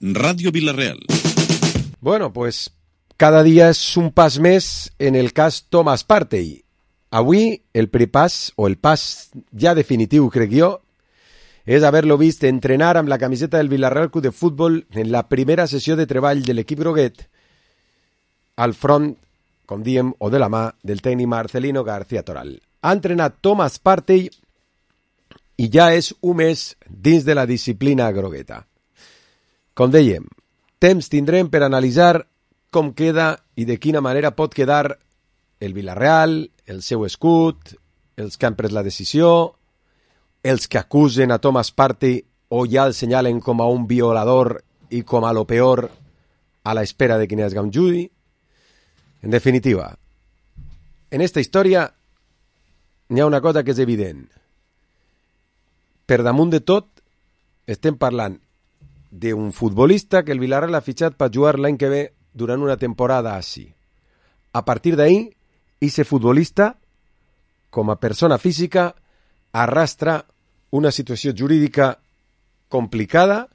Radio Vila-real. Bueno, pues cada dia és un pas més en el cas Thomas Partey. Avui el prepàs, o el pas ja definitiu, crec jo, és haver-lo vist entrenar amb la camiseta del Villarreal Club de Futbol en la primera sessió de treball de l'equip groguet al front, com diem, o de la mà del tècnic Marcelino García Toral. Ha entrenat Thomas Partey i ja és un mes dins de la disciplina grogueta. Com dèiem, temps tindrem per analitzar com queda i de quina manera pot quedar el Villarreal, el seu escut, els que han pres la decisió, els que acusen a Thomas Partey o ja el senyalen com a un violador i com a lo peor a la espera de quin es un judi. En definitiva, en esta història n'hi ha una cosa que és evident. Per damunt de tot, estem parlant d'un futbolista que el Villarreal ha fitxat per jugar l'any que ve durant una temporada així. A partir d'ahí, ese futbolista, com a persona física, arrastra una situació jurídica complicada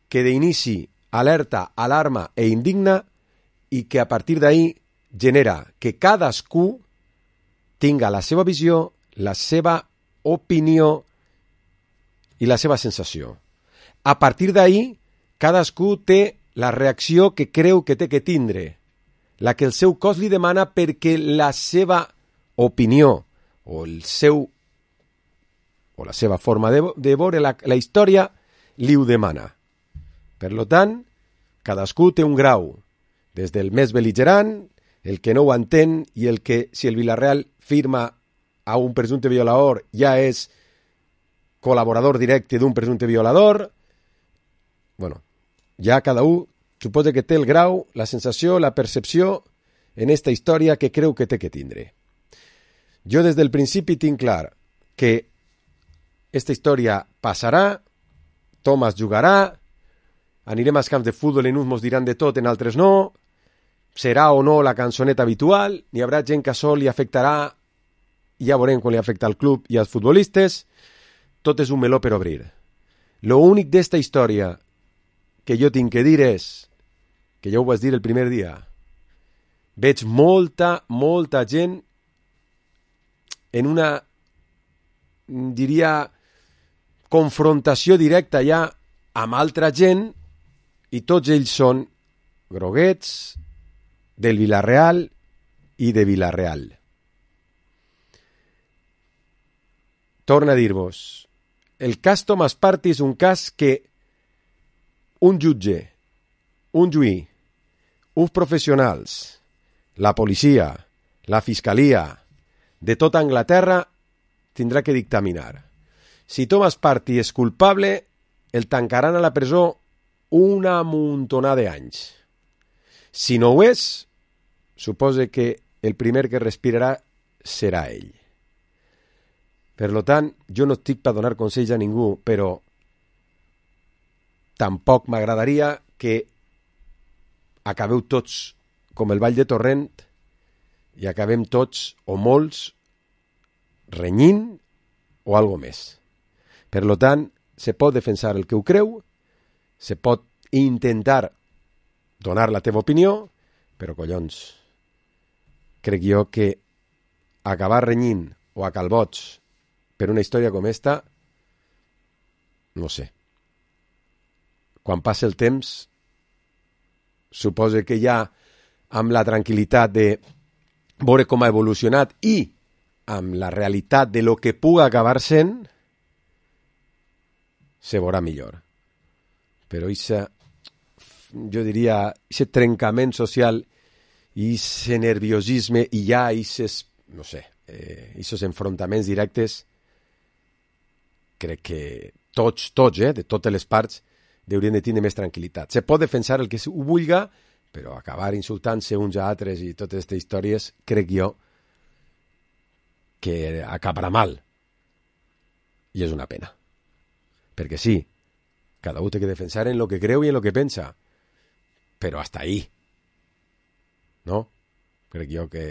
que d'inici alerta, alarma e indigna i que a partir d'ahí genera que cadascú tinga la seva visió, la seva opinió i la seva sensació. A partir d'ahí, cadascú té la reacció que creu que té que tindre, la que el seu cos li demana perquè la seva opinió o la seva forma de veure la història li ho demana. Per tant, cadascú té un grau, des del més bel·ligerant, el que no ho entén i el que, si el Villarreal firma a un presumpte violador, ja és col·laborador directe d'un presumpte violador. Bueno, ja cada un suposa que té el grau, la sensació, la percepció en esta història que creu que té que tindre. Jo des del principi tinc clar que esta història passarà, Thomas jugarà, anirem als camps de futbol, en uns mos diran de tot, en altres no, serà o no la cançoneta habitual, n'hi haurà gent que això li afectarà, ja veurem quan li afecta al club i als futbolistes, tot és un meló per obrir. Lo únic d'esta història que jo tinc que dir és, que ja ho vaig dir el primer dia, veig molta gent en una, diria, confrontació directa ja amb altra gent i tots ells són groguets del Villarreal i de Villarreal. Torna a dir-vos, el cas Thomas Partey és un cas que un jutge, un juí, uns professionals, la policia, la fiscalia, de tota Anglaterra, tindrà que dictaminar. Si Thomas Partey és culpable, el tancaran a la presó una muntonada d'anys. Si no ho és, suposa que el primer que respirarà serà ell. Per tant, jo no estic per donar consells a ningú, però tampoc m'agradaria que acabeu tots com el Vall de Torrent i acabem tots, o molts, renyint o algo més. Per tant, se pot defensar el que ho creu, se pot intentar donar la teva opinió, però collons, crec jo que acabar renyint o a calbots per una història com esta, no sé. Quan passa el temps, suposo que ja amb la tranquil·litat de veure com ha evolucionat i amb la realitat de lo que puga acabar sent, se veurà millor. Però jo diria, aquest trencament social i aquest nerviosisme i ja aquests, no sé, aquests enfrontaments directes, crec que tots, de totes les parts, haurien de tenir més tranquil·litat. Se pot defensar el que ho vulga, però acabar insultant-se uns a altres i totes aquestes històries, crec jo, que acabarà mal. I és una pena. Perquè sí, cada un té que defensar en lo que creu i en lo que pensa, però hasta ahí. No? Crec jo que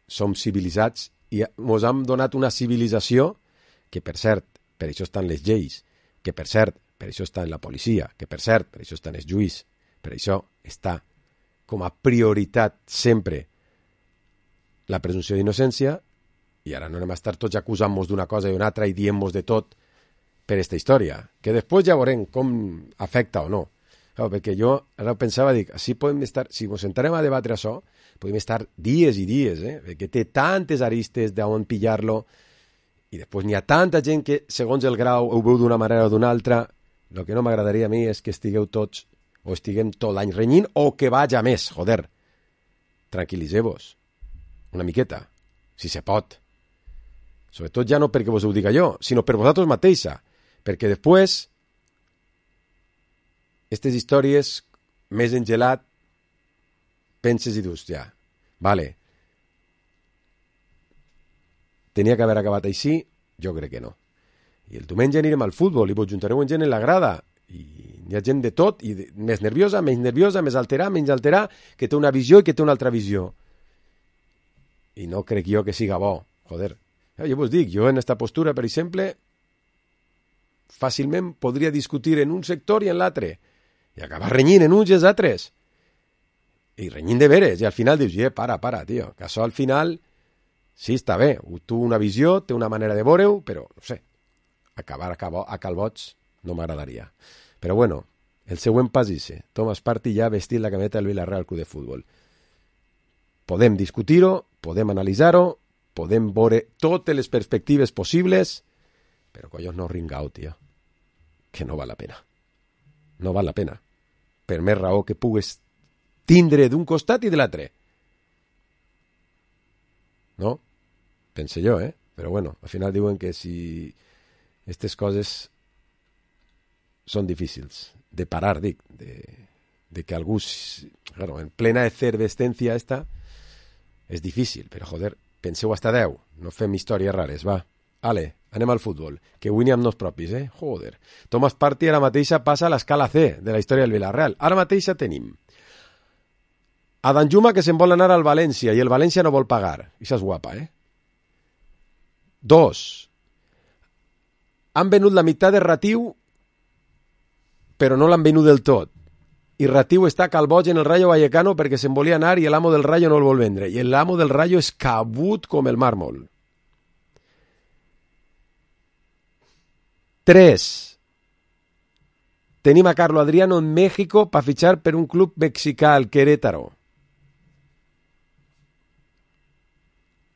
som civilitzats i ens hem donat una civilització que, per cert, per això estan les lleis, que, per cert, per això està en la policia, que per cert, per això està en els juís, per això està com a prioritat sempre la presumpció d'innocència, i ara no anem a estar tots acusant-nos d'una cosa i una altra i dient-nos de tot per aquesta història, que després ja veurem com afecta o no. Clar, perquè jo ara pensava, dic, així podem estar, si ens entrarem a debatre això, podem estar dies i dies, perquè té tantes aristes d'on pillar-lo, i després n'hi ha tanta gent que, segons el grau, ho veu d'una manera o d'una altra. El que no m'agradaria a mi és que estigueu tots, o estiguem tot l'any renyint, o que vaja més, joder. Tranquil·liseu-vos una miqueta, si se pot. Sobretot ja no perquè vos ho diga jo, sinó per vosaltres mateixa, perquè després aquestes històries més engelat penses i dius, ja, vale, tenia que haver acabat així? Jo crec que no. I el diumenge anirem al futbol i vos juntareu en gent en la grada i hi ha gent de tot, i més nerviosa, més alterar, menys alterar, que té una visió i que té una altra visió. I no crec jo que siga bo, joder. Jo vos dic, jo en esta postura, per exemple, fàcilment podria discutir en un sector i en l'altre, i acabar renyint en uns i els altres. I renyint de veres, i al final dius, para, tio, que això al final, sí, està bé, tu una visió, té una manera de veure-ho, però, no sé, acabar a calbots no m'agradaria. Però bueno, el següent pas és Thomas Partey ja vestit la cameta del Villarreal Club de Futbol. Podem discutir-ho, podem analitzar-ho, podem veure totes les perspectives possibles, però collons no ringau, tio, que no val la pena. No val la pena. Per més raó que pugues tindre d'un costat i de l'altre. No? Pense jo, Però bueno, al final diuen que si aquestes coses són difícils de parar, dic, de que algú, claro, en plena efervescencia esta, és difícil, però joder, penseu hasta 10, no fem històries rares, va. Ale, anem al futbol, que avui n'hi ha dos propis, joder. Thomas Partey ara mateixa passa a l'escala C de la història del Villarreal. Ara mateixa tenim a Danjuma, que se'n vol anar al València, i el València no vol pagar. Això és guapa, 2. Han venut la meitat de Ratiu, però no l'han venut del tot. I Ratiu està calboig en el Rayo Vallecano perquè se'n volia anar i l'amo del Rayo no el vol vendre. I l'amo del Rayo és cabut com el màrmol. 3. Tenim a Carlo Adriano en México per fitxar per un club mexicà, el Querétaro.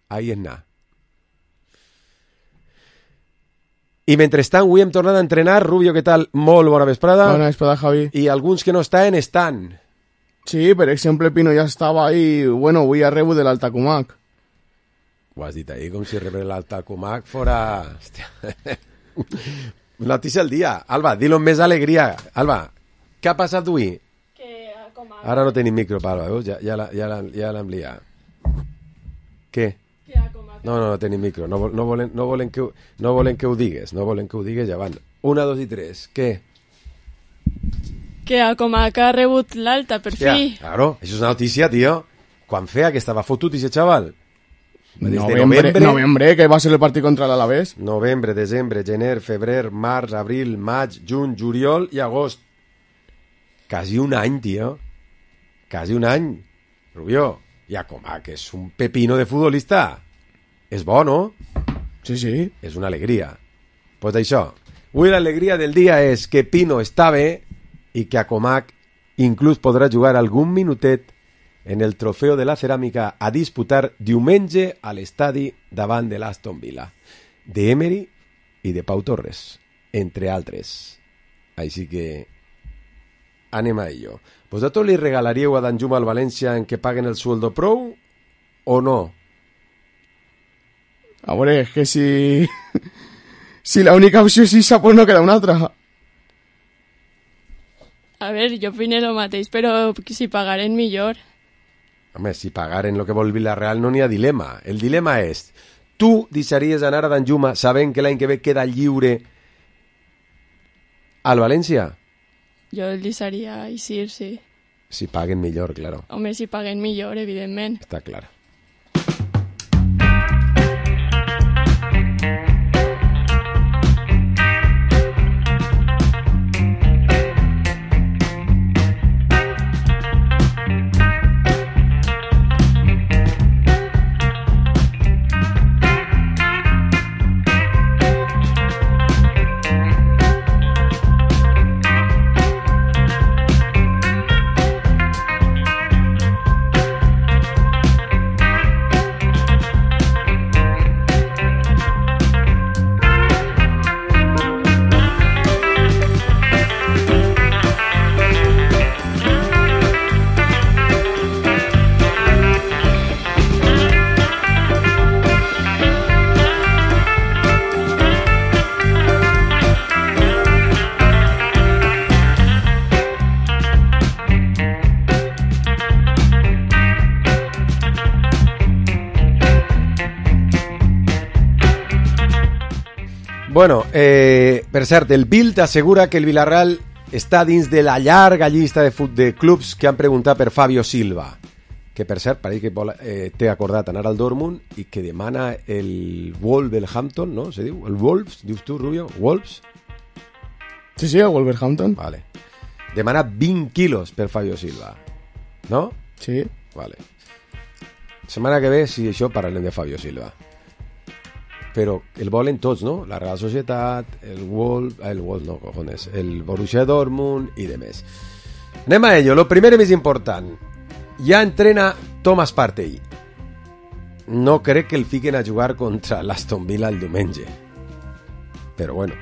Ahí és anar. I mentrestant, avui hem tornat a entrenar. Rubio, què tal? Molt bona vesprada. Bona vesprada, Javi. I alguns que no estan. Sí, per exemple, Pino ja estava ahí. Bueno, avui ha rebut de l'Altacumac. Ho has dit ahir com si rebés l'Altacumac fora... Hòstia. Notícia del dia. Alba, dilo amb més alegria. Alba, què ha passat avui? Ara no tenim micro, Alba, veus? Ja l'hem liat. Què? No tenim micro, no volen que ho digues, ja van. 1, 2 i 3, què? Que a Comac ha rebut l'alta, per fi. Claro, això és una notícia, tio. Quan feia que estava fotut ese chaval? Novembre, que va ser el partit contra l'Alavés. Novembre, desembre, gener, febrer, març, abril, maig, juny, juliol i agost. Quasi un any, tio. Quasi un any. Rubio, i a Comac és un pepino de futbolista. És bo, no? Sí, sí. És una alegria. Pues d'això. Avui l'alegria del dia és que Pino està bé i que a Comac inclús podrà jugar algun minutet en el trofeu de la ceràmica a disputar diumenge a l'estadi davant de l'Aston Villa. De Emery i de Pau Torres, entre altres. Així que anem a ello. ¿Vosotros li regalaríeu a Danjuma al València en que paguen el sueldo pro o no? A veure, és que si la única opció és esa, pues no queda una altra. A ver, jo opino lo mateix, però si pagaren millor. Home, si pagaren lo que vol Villarreal no n'hi ha dilema. El dilema és, tu deixaries anar a Danjuma sabent que l'any que ve queda lliure al València? Jo el deixaria eixir, sí. Si paguen millor, claro. Home, si paguen millor, evidentment. Està clar. Bueno, per cert, el Bild assegura que el Villarreal està dins de la llarga llista de clubs que han preguntat per Fabio Silva, que per cert pareix que té acordat anar al Dortmund i que demana el Wolverhampton, no? Se diu? El Wolves, dius tu, Rubio? Wolves? Sí, el Wolverhampton. Vale. Demana 20 quilos per Fabio Silva, no? Sí. Vale. Setmana que ve, si això, parlem de Fabio Silva. Però el volen tots, no? La Real Societat, el Borussia Dortmund i demés. Anem a ello. Lo primer i més important. Ja entrena Thomas Partey. No crec que el fiquen a jugar contra l'Aston Villa el diumenge. Però bueno.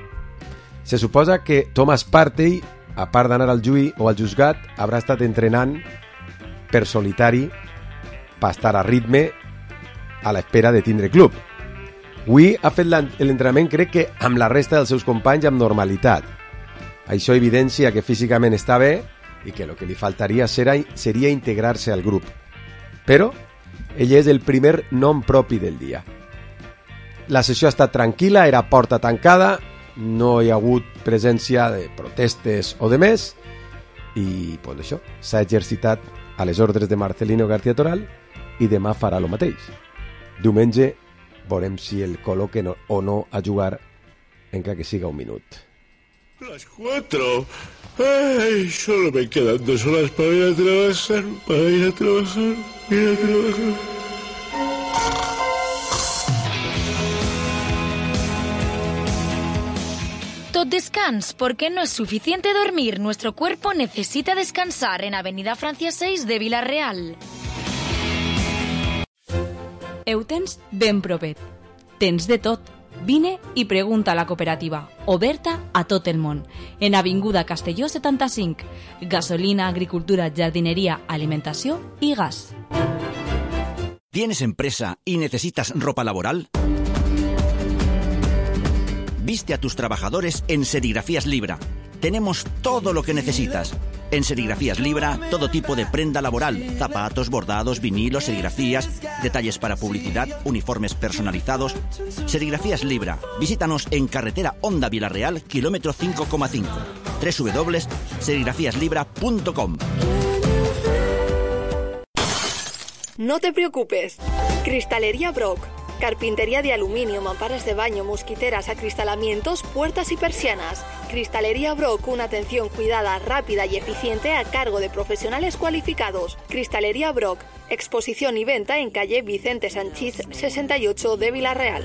Se suposa que Thomas Partey, a part d'anar al Juí o al Juzgat, haurà estat entrenant per solitari per estar a ritme a l'espera de tindre club. Avui ha fet l'entrenament, crec que amb la resta dels seus companys amb normalitat. Això evidencia que físicament està bé i que el que li faltaria seria integrar-se al grup. Però ell és el primer nom propi del dia. La sessió ha estat tranquil·la, era porta tancada, no hi ha hagut presència de protestes o de més i pues, això s'ha exercitat a les ordres de Marcelino García Toral i demà farà el mateix. Diumenge veurem si el col·loquen o no a jugar, encara que siga un minut. Las 4. Ay, solo me quedan 2 horas para ir a trabajar. Tot descans, porque no es suficiente dormir. Nuestro cuerpo necesita descansar en Avenida Francia 6 de Villarreal. Ho tens ben propet. Tens de tot. Vine i pregunta a la cooperativa, oberta a tot el món. En Avinguda Castelló 75. Gasolina, agricultura, jardinería, alimentació i gas. ¿Tienes empresa y necesitas ropa laboral? Viste a tus trabajadores en Serigrafías Libra. Tenemos todo lo que necesitas. En Serigrafías Libra, todo tipo de prenda laboral, zapatos, bordados, vinilos, serigrafías, detalles para publicidad, uniformes personalizados. Serigrafías Libra. Visítanos en carretera Honda Villarreal, kilómetro 5,5. www.serigrafiaslibra.com. No te preocupes. Cristalería Brock. Carpintería de aluminio, mamparas de baño, mosquiteras, acristalamientos, puertas y persianas. Cristalería Brock, una atención cuidada, rápida y eficiente a cargo de profesionales cualificados. Cristalería Brock, exposición y venta en calle Vicente Sanchís 68 de Villarreal.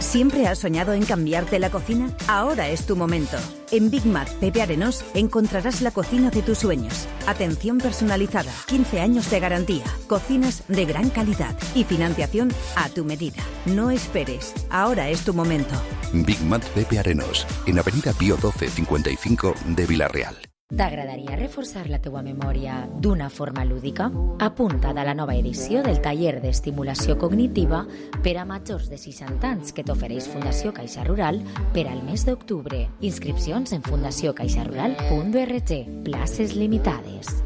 ¿Siempre has soñado en cambiarte la cocina? Ahora es tu momento. En Big Mac Pepe Arenós encontrarás la cocina de tus sueños. Atención personalizada, 15 años de garantía, cocinas de gran calidad y financiación a tu medida. No esperes, ahora es tu momento. Big Mac Pepe Arenós, en Avenida Pío 12 55 de Villarreal. T'agradaria reforçar la teua memòria d'una forma lúdica? Apunta't a la nova edició del taller d'estimulació cognitiva per a majors de 60 anys que t'ofereix Fundació Caixa Rural per al mes d'octubre. Inscripcions en fundaciocaixarural.org. Places limitades.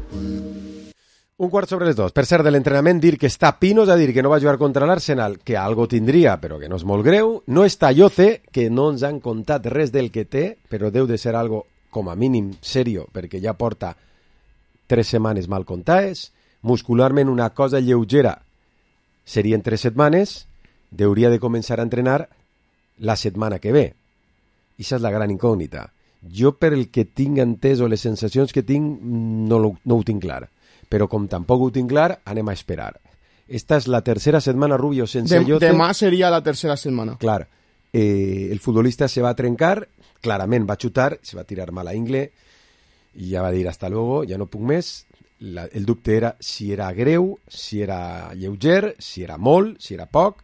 2:15. Per cert, de l'entrenament, dir que està Pino, és a dir, que no va jugar contra l'Arsenal, que algo tindria, però que no és molt greu. No està Yoce, que no ens han contat res del que té, però deu de ser algo com a mínim serio, perquè ja porta 3 setmanes mal comptades. Muscularment una cosa lleugera serien 3 setmanes, hauria de començar a entrenar la setmana que ve. I això és la gran incògnita. Jo, per el que tinc entès o les sensacions que tinc, no ho tinc clar. Però com tampoc ho tinc clar, anem a esperar. Esta és la tercera setmana, Rubio, sense Yoce. Demà seria la tercera setmana. Clar. El futbolista se va a trencar, clarament va xutar, se va tirar mal a ingle i ja va dir hasta luego, ja no puc més. El dubte era si era greu, si era lleuger, si era molt, si era poc,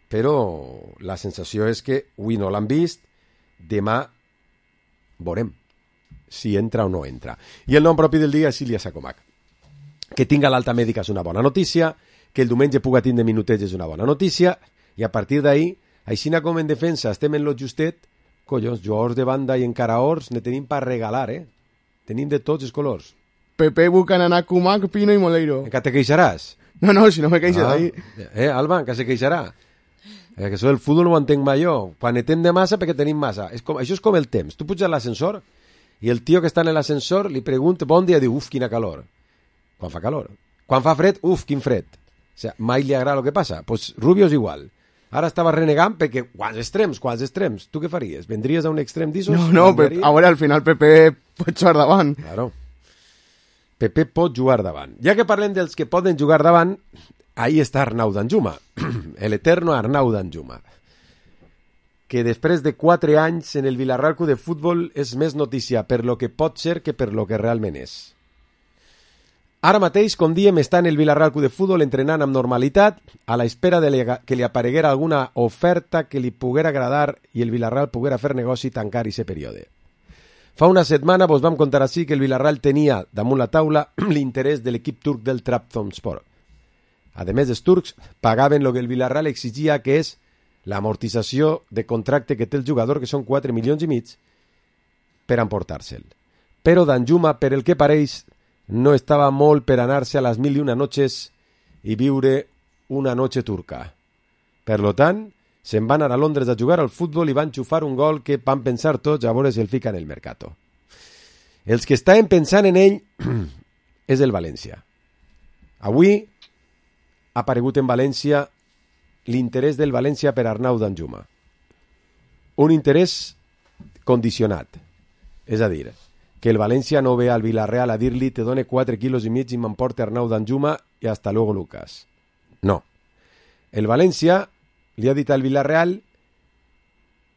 però la sensació és que avui no l'han vist, demà veurem si entra o no entra. I el nom propi del dia és Ilya Sakomak. Que tinga l'alta mèdica és una bona notícia, que el diumenge puga tindre minutets és una bona notícia, i a partir d'ahí, aixina com en defensa estem en lo justet, collons, jugadors de banda i encara-ors ne tenim per regalar, Tenim de tots els colors. Pepe, Buchanan, Kumak, Pino i Moleiro. Encara te queixaràs? No, si no me queixo d'ahí. Alba, encara se queixarà. Que això del futbol no ho entenc mai jo. Quan netem de massa perquè tenim massa. Això és com el temps. Tu puges a l'ascensor i el tio que està en l'ascensor li pregunta bon dia, diu, uf, quina calor. Quan fa calor. Quan fa fred, uf, quin fred. O sea, mai li agrada el que passa. Pues Rubio és igual. Ara estava renegant perquè quants extrems. Tu què faries? Vendries a un extrem d'issos? No, a veure, al final Pepe pot jugar davant. Claro. Pepe pot jugar davant. Ja que parlem dels que poden jugar davant, ahí està Arnau Danjuma, el eterno Arnau Danjuma, que després de 4 anys en el Villarreal Club de Futbol és més notícia per lo que pot ser que per lo que realment és. Ara mateix, com diem, està en el Villarreal Club de Futbol entrenant amb normalitat a la espera que li apareguera alguna oferta que li poguera agradar i el Villarreal poguera fer negoci i tancar aquest període. Fa una setmana vos vam contar així que el Villarreal tenia damunt la taula l'interès de l'equip turc del Trabzonspor. A més, els turcs pagaven el que el Villarreal exigia, que és l'amortització de contracte que té el jugador, que són 4 milions i mig, per emportar-se'l. Però Danjuma, per el que pareix, no estava molt per anar-se a les 1001 noches i viure una noche turca. Per lo tant, se'n van anar a Londres a jugar al futbol i van xufar un gol que van pensar tots a veure si el fica en el mercato. Els que estaven pensant en ell és el València. Avui ha aparegut en València l'interès del València per Arnau Danjuma. Un interès condicionat. És a dir, que el València no ve al Villarreal a dir-li te done 4 quilos i mig i m'emporte Arnau Danjuma i hasta luego Lucas. No. El València li ha dit al Villarreal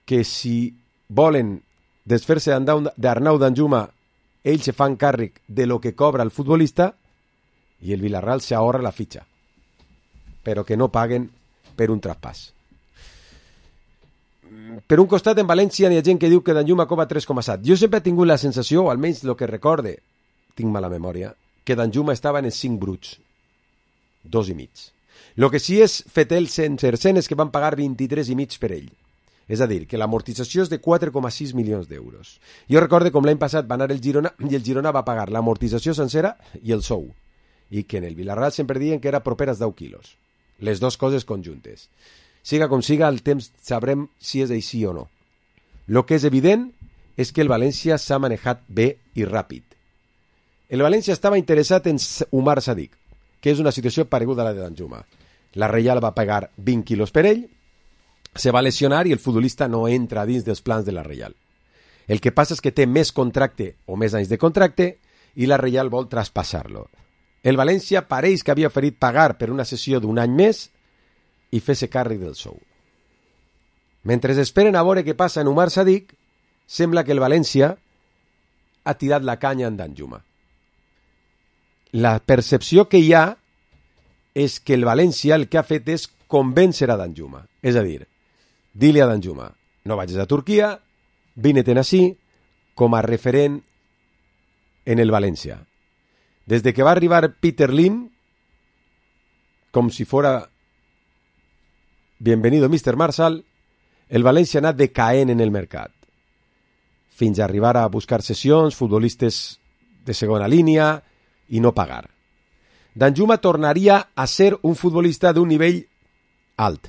que si volen desfer-se d'Arnau Danjuma ells se fan càrrec de lo que cobra el futbolista i el Villarreal se ahorra la fitxa, però que no paguen per un traspàs. Per un costat, en València hi ha gent que diu que Danjuma cobra 3,7. Jo sempre he tingut la sensació, o almenys el que recorde, tinc mala memòria, que Danjuma estava en els 5 bruts, 2,5. El que sí és fetel sense és que van pagar 23,5 per ell. És a dir, que l'amortització és de 4,6 milions d'euros. Jo recordo com l'any passat va anar el Girona i el Girona va pagar l'amortització sencera i el sou. I que en el Villarreal sempre diuen que era proper als 10 quilos. Les dues coses conjuntes. Siga com siga, al temps sabrem si és així o no. El que és evident és que el València s'ha manejat bé i ràpid. El València estava interessat en Umar Sadik, que és una situació pareguda a la de Danjuma. La Reial va pagar 20 quilos per ell, se va lesionar i el futbolista no entra dins dels plans de la Reial. El que passa és que té més contracte o més anys de contracte i la Reial vol traspassar-lo. El València pareix que havia oferit pagar per una sessió d'un any més i fer-se càrrec del sou. Mentre esperen a veure què passa en Umar Sadik, sembla que el València ha tirat la canya en Danjuma. La percepció que hi ha és que el València el que ha fet és convèncer a Danjuma. És a dir, dir-li a Danjuma, no vagis a Turquia, vine-te'n ací com a referent en el València. Des de que va arribar Peter Lim, com si fora bienvenido Mr. Marshall, el València ha anat decaent en el mercat, fins a arribar a buscar sessions, futbolistes de segona línia i no pagar. Danjuma tornaria a ser un futbolista d'un nivell alt.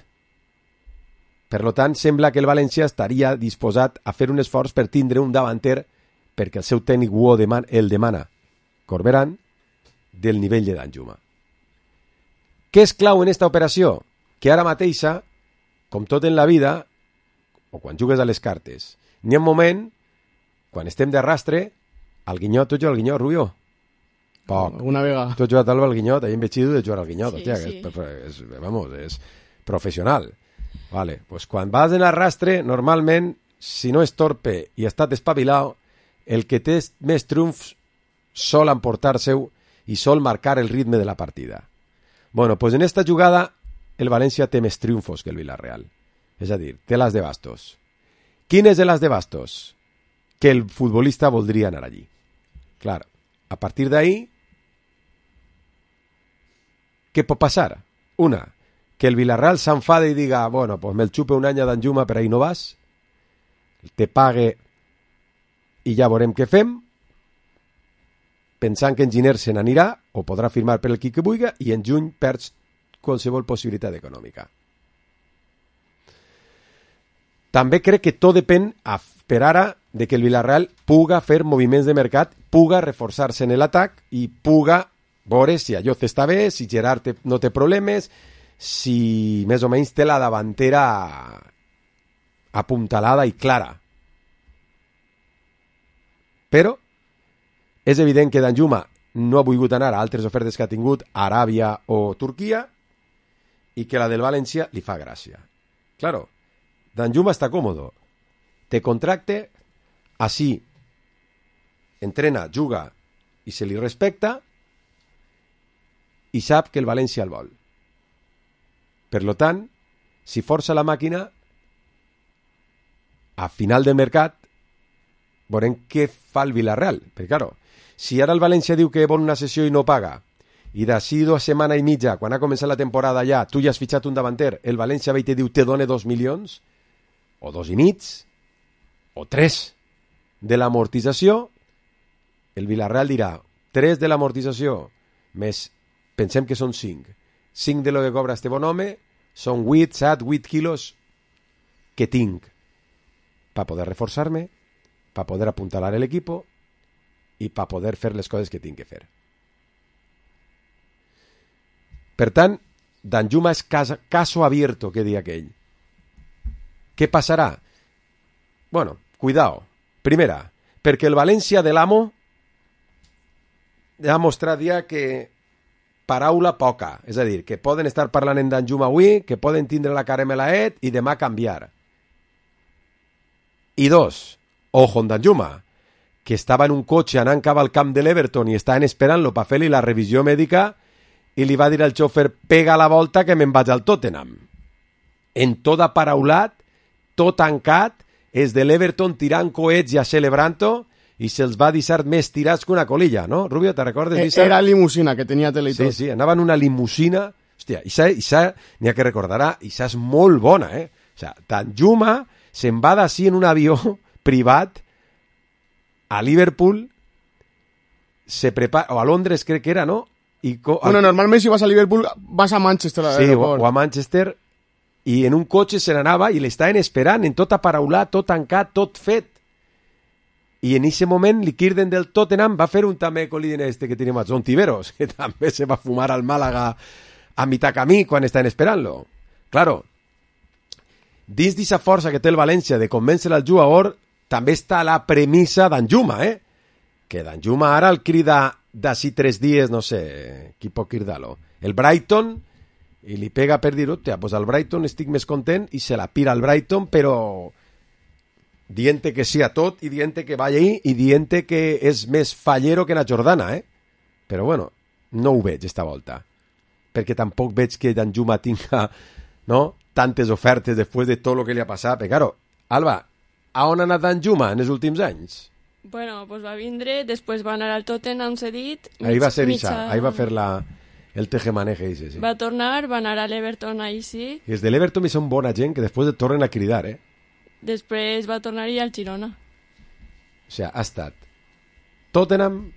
Per tant, sembla que el València estaria disposat a fer un esforç per tindre un davanter perquè el seu tècnic el demana, Corberán, del nivell de Danjuma. Què és clau en esta operació? Que ara mateixa, com tot en la vida, o quan jugues a les cartes, n'hi ha un moment, quan estem de rastre, al guinyot, tu jugues al guinyot, Rubio? Poc. Una vegada. Tu has jugat al guinyot, ahí en veig de jugar al guinyot, Sí, hòstia, sí. És professional. Vale, pues quan vas en arrastre, normalment, si no és torpe i està despavilat, el que té més triomfs sol emportar-se-ho i sol marcar el ritme de la partida. Bueno, pues en esta jugada el València té més triomfos que el Villarreal. És a dir, té l'as de bastos. Quin és l'as de bastos? Que el futbolista voldria anar allí. Clar, a partir d'ahí, què pot passar? Una, que el Villarreal s'enfada i diga, bueno, pues me'l xupe un any a Danjuma, per ahí no vas, te pague i ja veurem què fem, pensant que en Giner se n'anirà, o podrà firmar per el qui que vulgui, i en juny perds qualsevol possibilitat econòmica. També crec que tot depèn per ara de que el Villarreal puga fer moviments de mercat, puga reforçar-se en l'atac i puga veure si Ayoce està bé, si Gerard no té problemes, si més o menys té la davantera apuntalada i clara. Però és evident que Danjuma no ha volgut anar a altres ofertes que ha tingut a Aràbia o Turquia i que la del València li fa gràcia. Claro, Danjuma està còmodo. Té contracte, així entrena, juga i se li respecta i sap que el València el vol. Per lo tant, si força la màquina, a final del mercat veurem què fa el Villarreal. Perquè, claro, si ara el València diu que vol una sessió i no paga, i d'ací 2 setmanes i mitja, quan ha començat la temporada ja, tu ja has fitxat un davanter, el València ve i te diu te dona 2 milions, o 2 i mig, o 3 de l'amortització, el Villarreal dirà 3 de l'amortització, més, pensem que són 5. 5 de lo que cobra este bon home, són 8, 7, 8 quilos que tinc per poder reforçar-me, per poder apuntalar l'equip i per poder fer les coses que tinc que fer. Per tant, Danjuma és caso abierto, que dia aquell. Què passarà? Bueno, cuidao. Primera, perquè el València de l'amo ha mostrat ja que paraula poca, és a dir, que poden estar parlant en Danjuma avui, que poden tindre la cara melaet i demà canviar. I 2, ojo en Danjuma, que estava en un cotxe anant cap al camp de l'Everton i estaven esperant-lo per fer-li la revisió mèdica i li va dir al xòfer, pega la volta que me'n vaig al Tottenham. En tot aparaulat, tot tancat, és de l'Everton tirant coets i celebrant-ho i se'ls va deixar més tirats que una colilla, no? Rubio, te recordes? Era limusina, que tenia tele i tot. Sí, anava en una limusina. Hòstia, Isa n'hi ha que recordarà, Isa és molt bona, eh? O sigui, Danjuma se'n va d'ací en un avió privat a Liverpool, se prepara, o a Londres crec que era, no? Bueno, normalment si vas a Liverpool vas a Manchester. Sí, o a Manchester, i en un cotxe se n'anava i l'estaven esperant en tot aparaulat, tot tancat, tot fet. I en aquest moment l'Ikirden del Tottenham va fer un també coliden que tenim a Zontiveros, que també se va fumar al Màlaga a mitjà camí quan estaven esperant-lo. Claro, dins d'aquesta força que té el València de convèncer el jugador, també està la premissa Danjuma, que Danjuma ara el crida d'ací 3 dies, no sé, qui pot cridar-lo? El Brighton, i li pega per dir, pues al Brighton estic més content, i se la pira al Brighton, però dient que sí a tot, i dient que va allí, i dient que és més fallero que na Jordana, Però bueno, no ho veig esta volta, perquè tampoc veig que Danjuma tinga, no, tantes ofertes després de tot el que li ha passat. Però, claro, Alba, a on ha anat Danjuma en els últims anys? Bueno, pues va vindre, després va anar al Tottenham cedit. Ahí va ser Isa, ahí va fer el tejemaneje, sí. Va tornar, va anar a l'Everton, ahí sí. I els de l'Everton són bona gent que després et tornen a cridar, Després va tornar-hi al Girona. O sigui, ha estat Tottenham,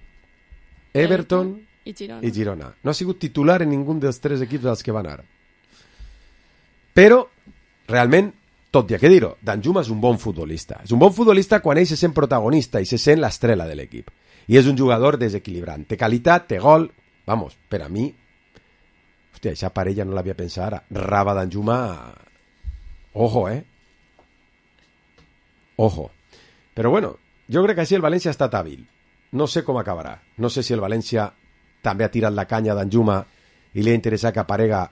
Everton i Girona. No ha sigut titular en ningú dels 3 equips als que va anar. Però, realment, tot i que dir-ho, Danjuma és un bon futbolista. És un bon futbolista quan ell se sent protagonista i se sent l'estrela de l'equip. I és un jugador desequilibrant. Té qualitat, té gol. Vamos, per a mi, hòstia, aquesta parella no l'havia pensat ara. Raba Danjuma, ojo, Ojo. Però bueno, jo crec que així el València ha estat hàbil. No sé com acabarà. No sé si el València també ha tirat la canya a Danjuma i li ha interessat que aparega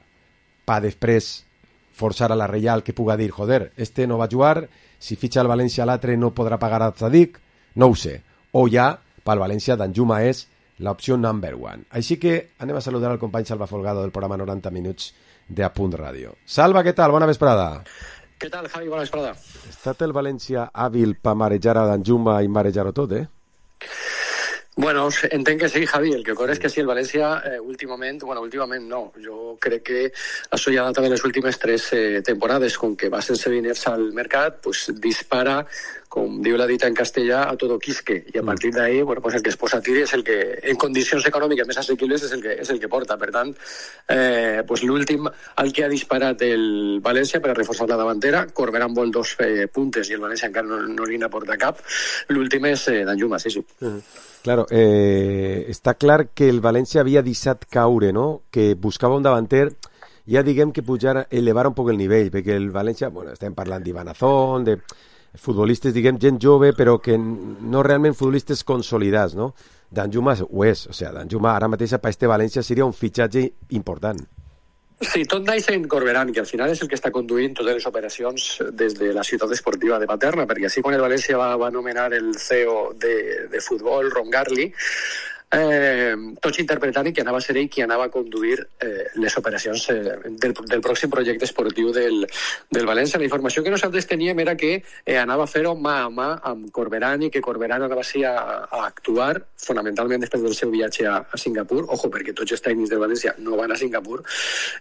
per després forçar a la Reial que puga dir, joder, este no va jugar, si fitxa el València l'altre no podrà pagar a Zadik, no ho sé. O ja, pel València, Danjuma és l'opció number 1. Així que anem a saludar al company Salva Folgado del programa 90 minuts de A Punt Ràdio. Salva, què tal? Bona vesprada. Què tal, Javi? Bona vesprada. Ha estat el València hàbil per marejar a Danjuma i marejar-ho tot, Bueno, entenc que sí, Javi. El que ocorre és que sí, el València últimament no. Jo crec que això ja data de les últimes 3 temporades, com que va sense diners al mercat, pues dispara com diu la dita en castellà, a todo quisque, i a partir d'ahí, bueno, pues el que es posa a tiri és el que, en condicions econòmiques més assequibles, és el que porta. Per tant, pues l'últim al que ha disparat el València per a reforçar la davantera, Corberán vol 2 puntes i el València encara no li n'aporta cap. L'últim és Danjuma, sí. Claro, està clar que el València havia deixat caure, no? Que buscava un davanter, ja diguem que elevar un poc el nivell, perquè el València, bueno, estem parlant d'Ivan Azón, de futbolistes, diguem, gent jove, però que no realment futbolistes consolidats, no? Danjuma ho és, o sigui, Danjuma ara mateix per este València seria un fitxatge important. Sí, tot naix en Corberán, que al final és el que està conduint totes les operacions des de la ciutat esportiva de Paterna, perquè així quan el València va nomenar el CEO de futbol, Ron Garli, tots interpretant que anava a ser ell qui anava a conduir les operacions del pròxim projecte esportiu del València. La informació que nosaltres teníem era que anava a fer-ho mà a mà amb Corberán i que Corberán anava a actuar fonamentalment després del seu viatge a Singapur. Ojo, perquè tots els tècnics del València no van a Singapur.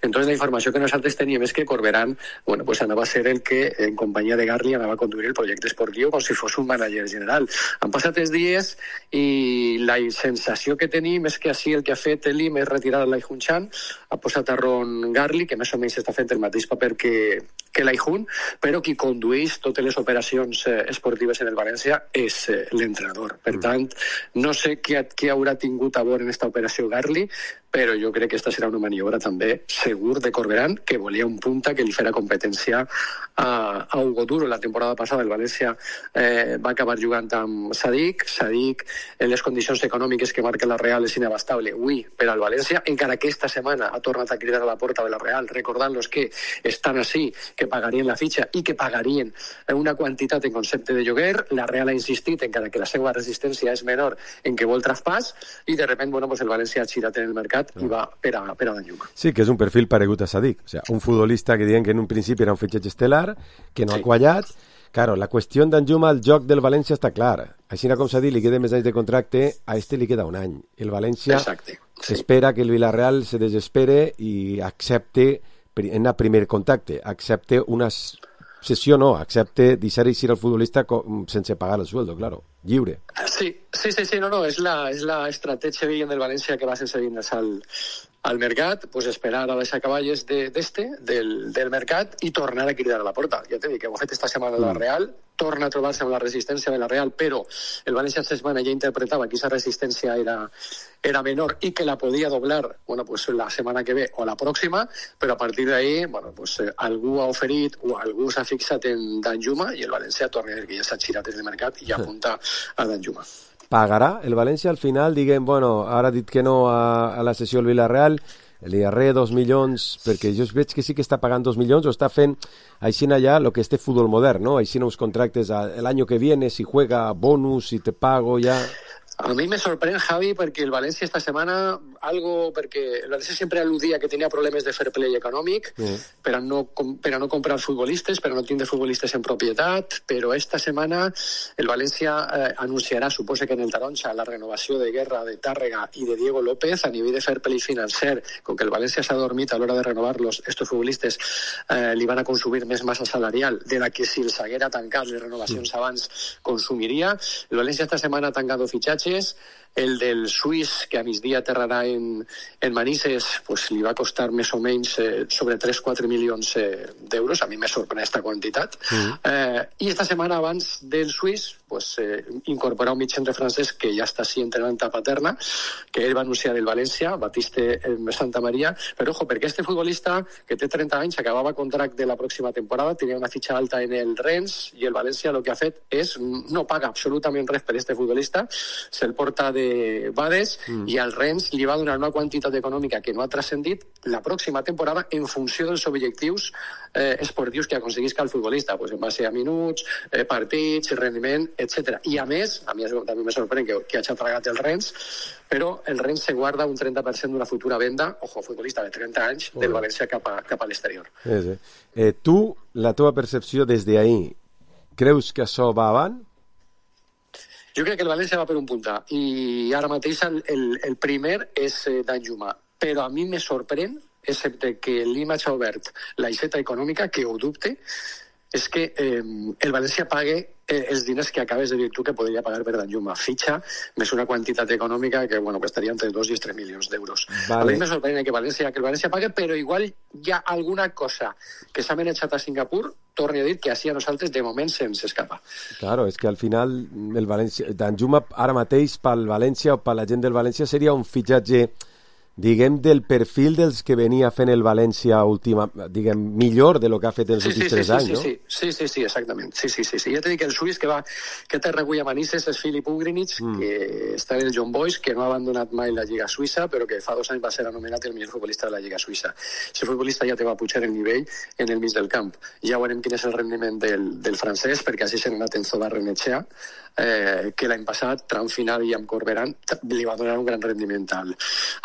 Entonces la informació que nosaltres teníem és que Corberán, bueno, pues anava a ser el que en companyia de Garli anava a conduir el projecte esportiu com si fos un manager general. Han passat els dies i la sensació que tenim és que així el que ha fet Elim és retirar l'Aihun Chan, ha posat a Ron Garli, que més o menys està fent el mateix paper que l'Aihun, però qui condueix totes les operacions esportives en el València és l'entrenador. Per tant, no sé què haurà tingut a veure en aquesta operació Garli, però jo crec que aquesta serà una maniobra també segur de Corberán, que volia un punta que li farà competència a Hugo Duro. La temporada passada el València va acabar jugant amb Sadik, en les condicions econòmiques que marca la Real és inabastable avui per al València, encara que esta setmana ha tornat a cridar a la porta de la Real, recordant-los que estan així, que pagarien la fitxa i que pagarien una quantitat en concepte de lloguer. La Real ha insistit, encara que la seva resistència és menor, en que vol traspàs, i de repente, bueno, pues el València ha girat en el mercat i va per a Danjuma. Sí, que és un perfil paregut a Sadik, o sea, un futbolista que diuen que en un principi era un fitxatge estel·lar, que no ha quallat. Claro, la qüestió d'Danjuma al joc del València està clara. Així com s'ha dit, li queda més anys de contracte, a este li queda un any. El València espera que el Villarreal se desespere i accepte, en el primer contacte, accepte una sessió, no, accepte deixar eixir al futbolista sense pagar el sueldo, claro, lliure. Sí, no, és la estratègia del València que va sense diners al mercat, pues esperar a les acaballes del mercat i tornar a cridar a la porta. Ja t'he dit que ho ha fet esta setmana la Real, torna a trobar-se amb la resistència de la Real, però el València esta setmana ja interpretava que aquesta resistència era menor i que la podia doblar, bueno, pues la setmana que ve o la pròxima, però a partir d'ahí, bueno, pues algú ha oferit o algú s'ha fixat en Danjuma i el València torna a dir que ja s'ha girat des del mercat i apunta a Danjuma. Pagarà el València al final? Diguem, bueno, ara ha dit que no a la sessió del Villarreal, li arre 2 milions, perquè jo veig que sí que està pagant 2 milions o està fent així allà el que és futbol modern, no? Així uns contractes el año que viene, si juega bonus, si te pago ya... A mi me sorprèn, Javi, perquè el València esta setmana, perquè el València sempre al·ludia que tenia problemes de fair play econòmic per a no comprar futbolistes, per a no tindre futbolistes en propietat, però esta setmana el València anunciarà, suposa que en el Taronja, la renovació de Guerra, de Tàrrega i de Diego López a nivell de fair play financer. Com que el València s'ha dormit a l'hora de renovar-los, estos futbolistes li van a consumir més massa salarial de la que si els haguera tancat les renovacions abans consumiria. El València esta setmana ha tancat fitxatges. El del suís, que a migdia aterrarà en Manises, pues li va costar més o menys sobre 3-4 milions d'euros. A mi me sorprèn aquesta quantitat. I esta setmana abans del suís pues, incorporar un mig centre francès que ja està així entrenant a Paterna, que ell va anunciar el València, Batiste Santa Maria, però ojo, perquè este futbolista que té 30 anys, acabava contracte de la pròxima temporada, tenia una fitxa alta en el Rennes, i el València el que ha fet és no paga absolutament res per este futbolista, se'l porta de Bades i al Rennes li va donar una quantitat econòmica que no ha transcendit la pròxima temporada en funció dels objectius esportius que aconseguisca el futbolista, pues en base a minuts, partits, rendiment, etc. I a més, a mi també me sorprèn que hagi tragat el Rennes, però el Rennes se guarda un 30% d'una futura venda, ojo, futbolista de 30 anys, del València cap a l'exterior. Tu, la teva percepció des d'ahir, creus que això va avant? Jo crec que el València va per un punta i ara mateix el primer és Danjuma, però a mi me sorprèn, excepte que l'IMA ha obert l'aixeta econòmica, que ho dubte, és que el València pague els diners que acabes de dir tu que podria pagar per Danjuma. Fitxa més una quantitat econòmica que, bueno, que estaria entre 2 i 3 milions d'euros. Vale. A mi me sorprèn que el València pague, però igual hi ha alguna cosa que s'ha manejat a Singapur, torni a dir que així a nosaltres de moment se'ns escapa. Claro, és que al final el València, Danjuma ara mateix pel València o per la gent del València seria un fitxatge, diguem, del perfil dels que venia fent el València diguem, millor de lo que ha fet els últims 3 anys, no? Sí, exactament. Sí. Ja t'he dit que el suís que té recull a Manises és Filip Ugrinic, que està en el John Boys, que no ha abandonat mai la Lliga Suïssa, però que fa 2 anys va ser anomenat el millor futbolista de la Lliga Suïssa. Aquest futbolista ja te va pujar el nivell en el mig del camp. Ja veurem quin és el rendiment del francès, perquè així se n'ha anat Enzo Barrenetxea, que l'any passat, tram final i amb Corberán, li va donar un gran rendiment al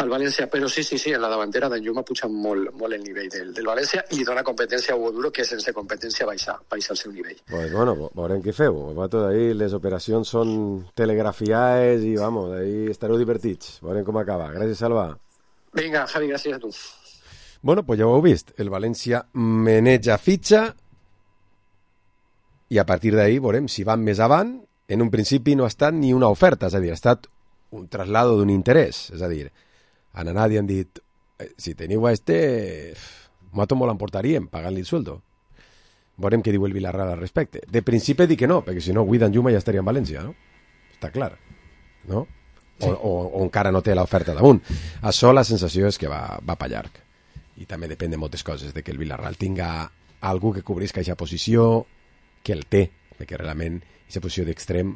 València. Però sí, en la davantera Danjuma puja molt el nivell del València i li dona competència a Hugo Duro, que sense competència baixa el seu nivell. Pues bueno, veurem què feu. Ahí les operacions són telegrafiades i, vamos, ahí estareu divertits. Veurem com acaba. Gràcies, Salva. Vinga, Javi, gràcies a tu. Bueno, pues ja ho heu vist. El València maneja fitxa i a partir d'ahí veurem si van més avant. En un principi no ha estat ni una oferta, és a dir, ha estat un traslado d'un interès, és a dir, han anat i han dit, si teniu a nosaltres me l'emportaríem, pagant-li el sueldo. Veurem què diu el Villarreal al respecte. De principi dic que no, perquè si no, avui Danjuma ja estaria en València, no? Està clar, no? Sí. O encara no té l'oferta damunt. Això la sensació és que va per llarg. I també depèn de moltes coses, de que el Villarreal tinga algú que cobrisca aquesta posició, que el té, perquè realment aquesta posició d'extrem,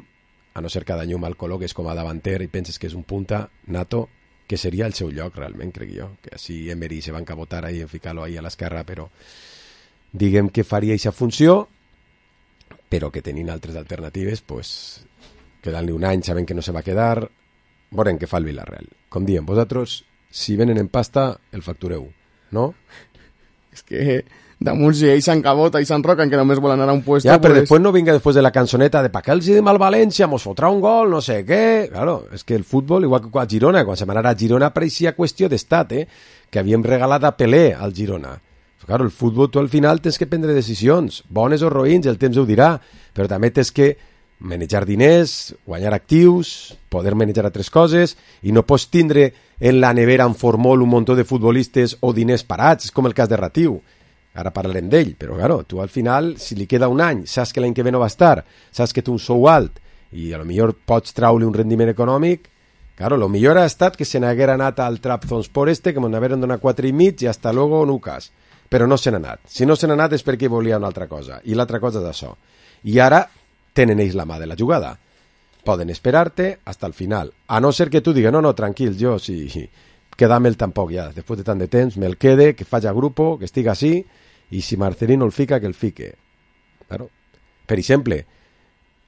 a no ser que Danjuma el col·loques com a davanter i penses que és un punta nato, que seria el seu lloc realment, crec jo, que així Emery se va encabotar ahí en ficar-lo ahí a l'esquerra, però diguem que faria aquesta funció, però que tenint altres alternatives, pues, quedant-li un any sabent que no se va quedar, veurem què fa el Villarreal. Com diem, vosaltres, si venen en pasta, el factureu, no? És que damunt si ells s'encabota i s'enroquen que només volen anar a un puesto... Ja, però després no vinga després de la cançoneta de pa que els didim al València, mos fotrà un gol, no sé què... Claro, és que el futbol, igual que a Girona, quan se'n anarà a Girona pareixia qüestió d'estat, que havíem regalat a Pelé al Girona. Claro, el futbol tu al final tens que prendre decisions, bones o roïns, el temps ho dirà, però també tens que manejar diners, guanyar actius, poder manejar altres coses, i no pots tindre en la nevera en formol un muntó de futbolistes o diners parats, és com el cas de Ratiu. Ara parlarem d'ell, però claro, tu al final, si li queda un any, saps que l'any que ve no va estar, saps que té un sou alt i a lo millor pots traure un rendiment econòmic, claro, lo millor ha estat que se n'haguera anat al Trabzonspor que me'n hagueren donat 4,5 i hasta luego Nucas, però no se n'ha anat. Si no se n'ha anat és perquè volia una altra cosa, i l'altra cosa és això. I ara tenen ells la mà de la jugada. Poden esperar-te hasta el final, a no ser que tu digues, no, tranquil, jo sí, quedar-me'l tampoc ja, després de tant de temps, me'l quede, que faci a grupo, que estigui així, i si Marcelino el fica, que el fique. Claro. Per exemple,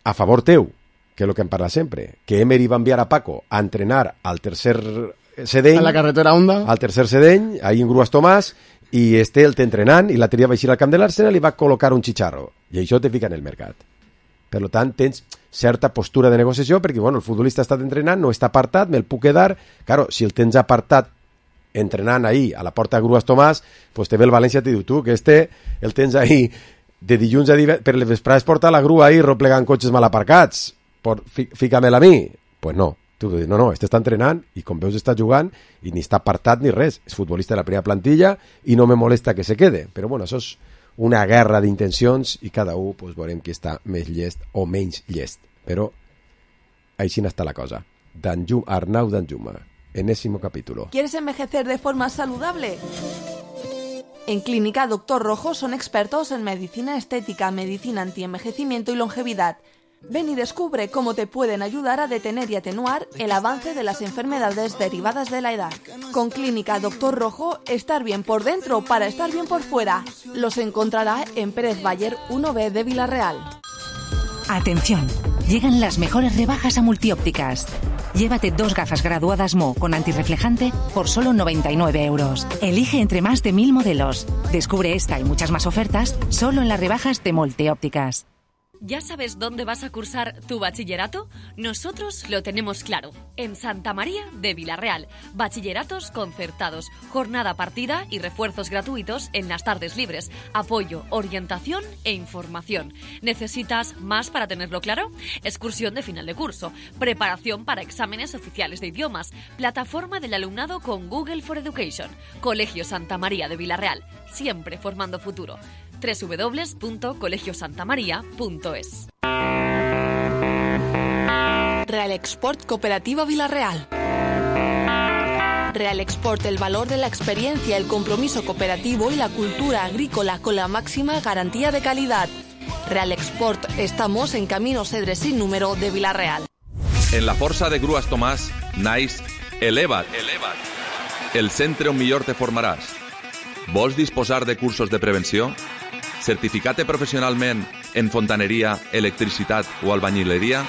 a favor teu, que és el que em parla sempre, que Emery va enviar a Paco a entrenar al tercer sedeny... A la carretera Honda. Al tercer sedeny, ahí en Gruas Tomàs, i el té entrenant, i l'altre dia va eixir al camp de l'Arsenal i va col·locar un xicharro. I això te fica en el mercat. Per tant, tens certa postura de negociació, perquè bueno, el futbolista ha estat entrenant, no està apartat, me'l puc quedar... Claro, si el tens apartat entrenant ahí a la porta de Gruas Tomàs, pues te ve el València i te diu tu que el tens ahí de dilluns a divendres, per les vesprades porta la grua ahí replegant cotxes mal aparcats, fica-me'l a mi. Pues no, tu dius, no, està entrenant i com veus està jugant i ni està apartat ni res, és futbolista de la primera plantilla i no me molesta que se quede, però bueno, això és una guerra d'intencions i cada un pues, veurem qui està més llest o menys llest, però així n'està la cosa. Arnau Danjuma, enésimo capítulo. ¿Quieres envejecer de forma saludable? En Clínica Doctor Rojo son expertos en medicina estética, medicina antienvejecimiento y longevidad. Ven y descubre cómo te pueden ayudar a detener y atenuar el avance de las enfermedades derivadas de la edad. Con Clínica Doctor Rojo, estar bien por dentro para estar bien por fuera. Los encontrará en Pérez Bayer 1B de Villarreal. Atención, llegan las mejores rebajas a Multiópticas. Llévate 2 gafas graduadas Mo con antirreflejante por solo 99 euros. Elige entre más de 1000 modelos. Descubre esta y muchas más ofertas solo en las rebajas de Multiópticas. ¿Ya sabes dónde vas a cursar tu bachillerato? Nosotros lo tenemos claro. En Santa María de Vilarreal. Bachilleratos concertados, jornada partida y refuerzos gratuitos en las tardes libres. Apoyo, orientación e información. ¿Necesitas más para tenerlo claro? Excursión de final de curso. Preparación para exámenes oficiales de idiomas. Plataforma del alumnado con Google for Education. Colegio Santa María de Vilarreal. Siempre formando futuro. www.colegiosantamaria.es. Real Export Cooperativa Vilarreal. Real Export, el valor de la experiencia, el compromiso cooperativo y la cultura agrícola con la máxima garantía de calidad. Real Export, estamos en Camino Cedre sin número de Vilarreal. En la Força de Grues Tomàs naix Eleva't. El centre on millor te formaràs. Vols disposar de cursos de prevenció? Certificat-te professionalment en fontaneria, electricitat o albañileria?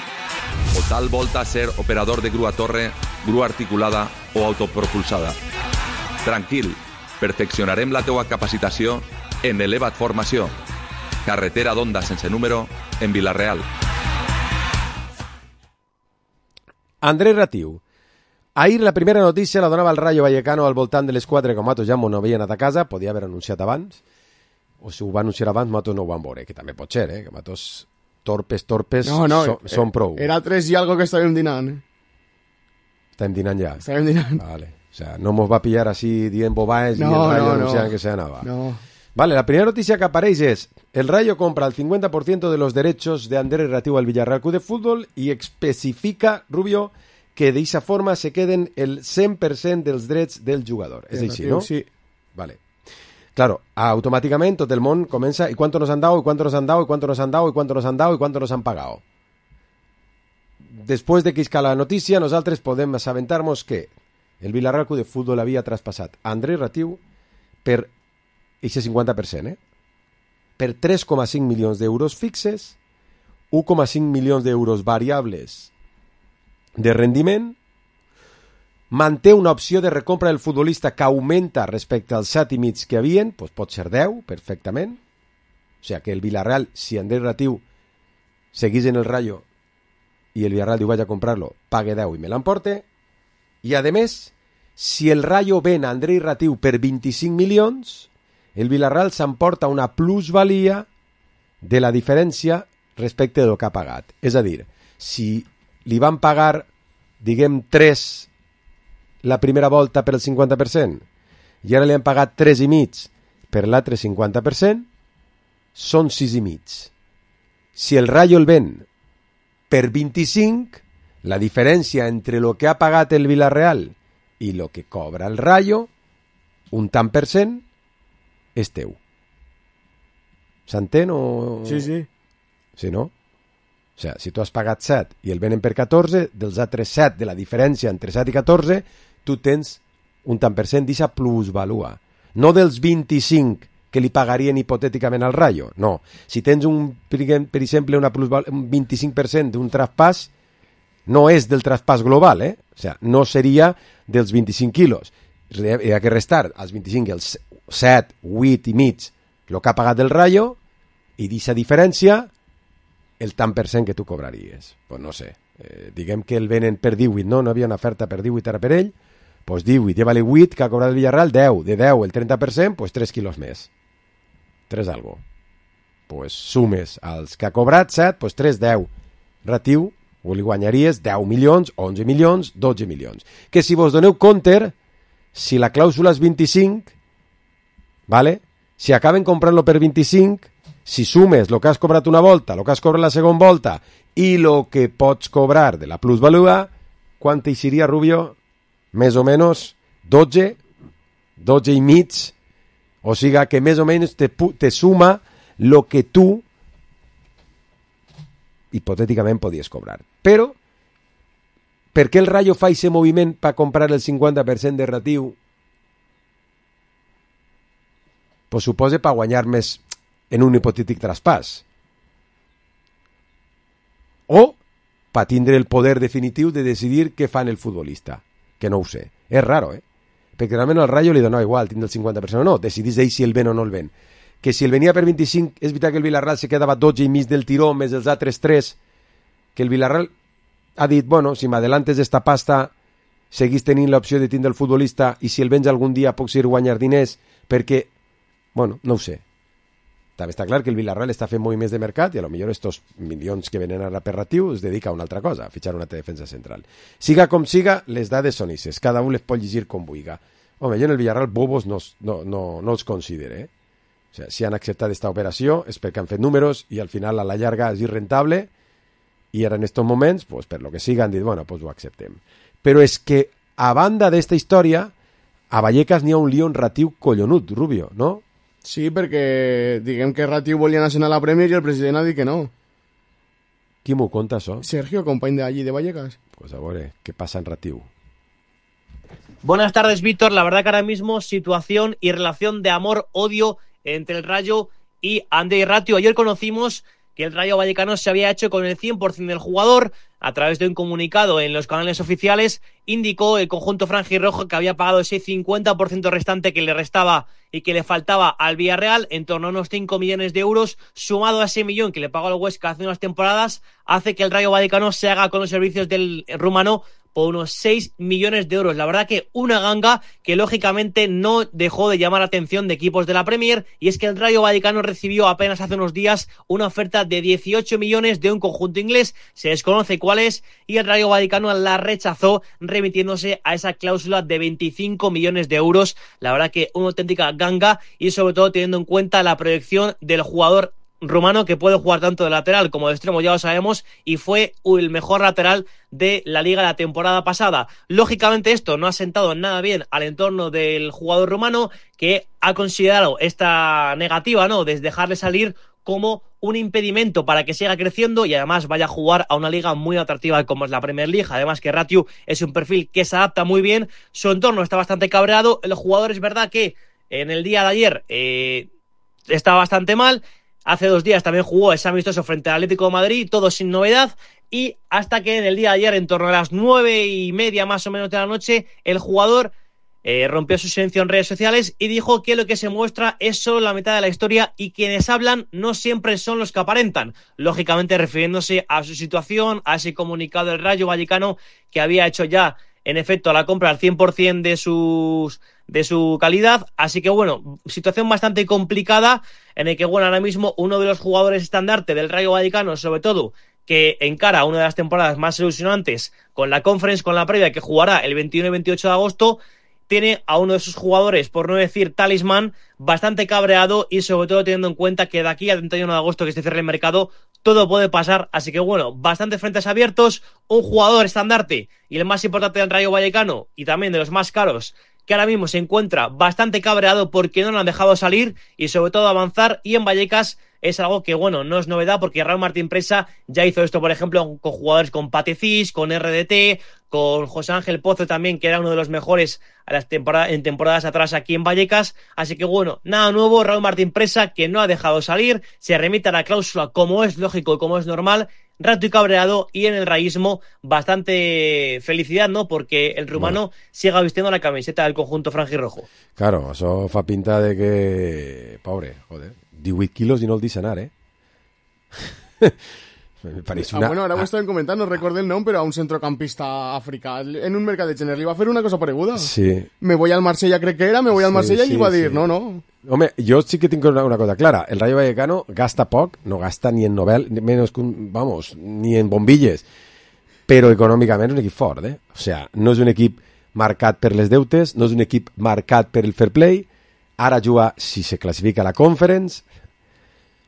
O tal volta ser operador de grua torre, grua articulada o autopropulsada? Tranquil, perfeccionarem la teua capacitació en Eleva't Formació. Carretera d'Onda sense número en Vilarreal. Andrés Ratiu. Ahir la primera notícia la donava el Rayo Vallecano al voltant de les 4, com nosaltres ja no havien anat a casa, podia haver anunciat abans, o si ho va anunciar abans, nosaltres no ho vam veure, que també pot ser, que nosaltres torpes són prou. Era 3 i algo que estàvem dinant. Estàvem dinant ja. Estàvem dinant. Vale. O sea, no mos va pillar así dient bobaes y el Rayo anunciant que se anava. No. Vale, la primera noticia que aparece es: el Rayo compra el 50% de los derechos de Andrés Ratiu al Villarreal Club de Fútbol y especifica, Rubio, que de esa forma se queden el 100% dels drets del jugador. És així, no? Sí. Vale. Claro, automáticamente tot el món comença: ¿y cuánto nos han dado? ¿Y cuánto nos han dado? ¿Y cuánto nos han dado? ¿Y cuánto nos han dado? ¿Y cuánto nos han pagado? Después de que isca la notícia, nosaltres podem assabentar-nos que el Villarreal Club de Fútbol havia traspassat a Andrés Ratiu per ese 50%, per 3,5 milions d'euros fixes, 1,5 milions d'euros variables de rendiment, manté una opció de recompra del futbolista que augmenta respecte als 7,5 que havien, doncs pot ser 10 perfectament, o sigui que el Villarreal, si Andrés Ratiu seguís en el Rayo i el Villarreal diu vaig a comprar-lo, pague 10 i me l'emporte, i a més, si el Rayo ven a Andrés Ratiu per 25 milions, el Villarreal s'emporta una plusvalia de la diferència respecte del que ha pagat. És a dir, si li van pagar, diguem, 3 la primera volta per el 50% i ara li han pagat 3,5 per l'altre 50%, són 6,5. Si el Rayo el ven per 25, la diferència entre el que ha pagat el Villarreal i el que cobra el Rayo, un tant per cent, és teu. S'entén o...? Sí, sí. Sí, no? O sigui, si tu has pagat 7 i el venen per 14, dels altres 7, de la diferència entre 7 i 14, tu tens un tant per cent d'aquesta plusvalua. No dels 25 que li pagarien hipotèticament al Rayo, no. Si tens, per exemple, un 25% d'un traspàs, no és del traspàs global, O sigui, no seria dels 25 quilos. Hi ha que restar als 25 els 7, 8 i mig el que ha pagat el Rayo i d'aquesta diferència el tant per cent que tu cobraries. Pues no sé, diguem que el venen per 18, no havia una oferta per 18 ara per ell, pues 18, lleva-li 8 que ha cobrat el Villarreal, 10, de 10 el 30%, pues 3 quilos més. 3 algo. Pues sumes als que ha cobrat 7, pues 3, 10. Ratiu, o li guanyaries 10 milions, 11 milions, 12 milions. Que si vos doneu compte, si la clàusula és 25, ¿vale? Si acaben comprant-lo per 25, si sumes el que has cobrat una volta, el que has cobrat la segona volta i el que pots cobrar de la plusvalua, quant t'eixiria, Rubio? Més o menys 12, 12 i mig, o sigui que més o menys te suma el que tu hipotèticament podies cobrar. Però, per què el Rayo fa aquest moviment per comprar el 50% de Ratiu? Pues suposa per guanyar més en un hipotètic traspàs. O per tindre el poder definitiu de decidir què fa el futbolista. Que no ho sé. És raro, Perquè realment al Rayo li dona igual tindre el 50% o no. Decidís ell si el ven o no el ven. que si el venia per 25, és veritat que el Villarreal se quedava 12 i mig del tiró, més els altres 3, que el Villarreal ha dit, bueno, si m'adelantes d'esta pasta, seguís tenint l'opció de tindre el futbolista i si el vens algun dia puc seguir guanyar diners, perquè, bueno, no ho sé. També està clar que el Villarreal està fent moviments de mercat i a lo millor estos milions que venen ara per Ratiu es dedica a una altra cosa, a fitxar una defensa central. Siga com siga, les dades són ixes, cada un les pot llegir com vulga. Home, jo en el Villarreal bobos no els considere, O sea, si han acceptat esta operació és perquè han fet números i al final a la llarga és irrentable i ara en estos moments, pues, per lo que siga han dit, bueno, pues ho acceptem. Però és que a banda d'esta història, a Vallecas n'hi ha un lío en Ratiu collonut, Rubio, no? Sí, perquè diguem que Ratiu volia anar a la Premier i el president ha dit que no. Qui m'ho conta, això? Sergio, company d'allí de Vallecas. Pues a veure, què passa en Ratiu? Buenas tardes, Víctor. La verdad que ahora mismo situación y relación de amor-odio entre el Rayo y Andrei Ratiu. Ayer conocimos que el Rayo Vallecano se había hecho con el 100% del jugador. A través de un comunicado en los canales oficiales, indicó el conjunto franjirrojo que había pagado ese 50% restante que le restaba y que le faltaba al Villarreal, en torno a unos 5 millones de euros, sumado a ese millón que le pagó al Huesca hace unas temporadas, hace que el Rayo Vallecano se haga con los servicios del rumano por unos 6 millones de euros. La verdad que una ganga que lógicamente no dejó de llamar la atención de equipos de la Premier, y es que el Rayo Vallecano recibió apenas hace unos días una oferta de 18 millones de un conjunto inglés, se desconoce cuál es, y el Rayo Vallecano la rechazó remitiéndose a esa cláusula de 25 millones de euros. La verdad que una auténtica ganga, y sobre todo teniendo en cuenta la proyección del jugador rumano, que puede jugar tanto de lateral como de extremo, ya lo sabemos, y fue el mejor lateral de la liga la temporada pasada. Lógicamente esto no ha sentado nada bien al entorno del jugador rumano, que ha considerado esta negativa, ¿no?, de dejarle salir como un impedimento para que siga creciendo y además vaya a jugar a una liga muy atractiva como es la Premier League. Además que Ratiu es un perfil que se adapta muy bien, su entorno está bastante cabreado, el jugador es verdad que en el día de ayer está bastante mal. Hace 2 días también jugó ese amistoso frente al Atlético de Madrid, todo sin novedad, y hasta que en el día de ayer, en torno a las 9:30 más o menos de la noche, el jugador rompió su silencio en redes sociales y dijo que lo que se muestra es solo la mitad de la historia y quienes hablan no siempre son los que aparentan. Lógicamente refiriéndose a su situación, a ese comunicado del Rayo Vallecano que había hecho ya, en efecto, la compra al 100% de su calidad. Así que bueno, situación bastante complicada en el que bueno, ahora mismo uno de los jugadores estandarte del Rayo Vallecano, sobre todo, que encara una de las temporadas más ilusionantes con la Conference, con la previa que jugará el 21 y 28 de agosto, tiene a uno de sus jugadores, por no decir talismán, bastante cabreado, y sobre todo teniendo en cuenta que de aquí al 31 de agosto que se cierre el mercado todo puede pasar. Así que bueno, bastantes frentes abiertos, un jugador estandarte y el más importante del Rayo Vallecano y también de los más caros, que ahora mismo se encuentra bastante cabreado porque no lo han dejado salir y sobre todo avanzar, y en Vallecas es algo que, bueno, no es novedad porque Raúl Martín Presa ya hizo esto, por ejemplo, con jugadores con Patecis, con RDT, con José Ángel Pozo también, que era uno de los mejores en temporadas atrás aquí en Vallecas. Así que, bueno, nada nuevo, Raúl Martín Presa, que no ha dejado salir, se remite a la cláusula como es lógico y como es normal, rato y cabreado, y en el raísmo bastante felicidad, ¿no?, porque el rumano siga vistiendo la camiseta del conjunto franjirrojo. Claro, això fa pinta de que... Pobre, joder, 18 quilos i no el deixa anar, Me parece una... bueno, ahora ho estaven comentant, no recordo el nom, però a un centrocampista africà en un mercat de gener li va fer una cosa pareguda. Sí. Me voy al Marsella, crec que era, me voy al Marsella, i li va dir, no. Home, jo sí que tinc una cosa clara. El Rayo Vallecano gasta poc, no gasta ni en Nobel, ni en bombilles, però econòmicament és un equip fort, O sea, no és un equip marcat per les deutes, no és un equip marcat per el fair play, ara juga, si se classifica a la Conference,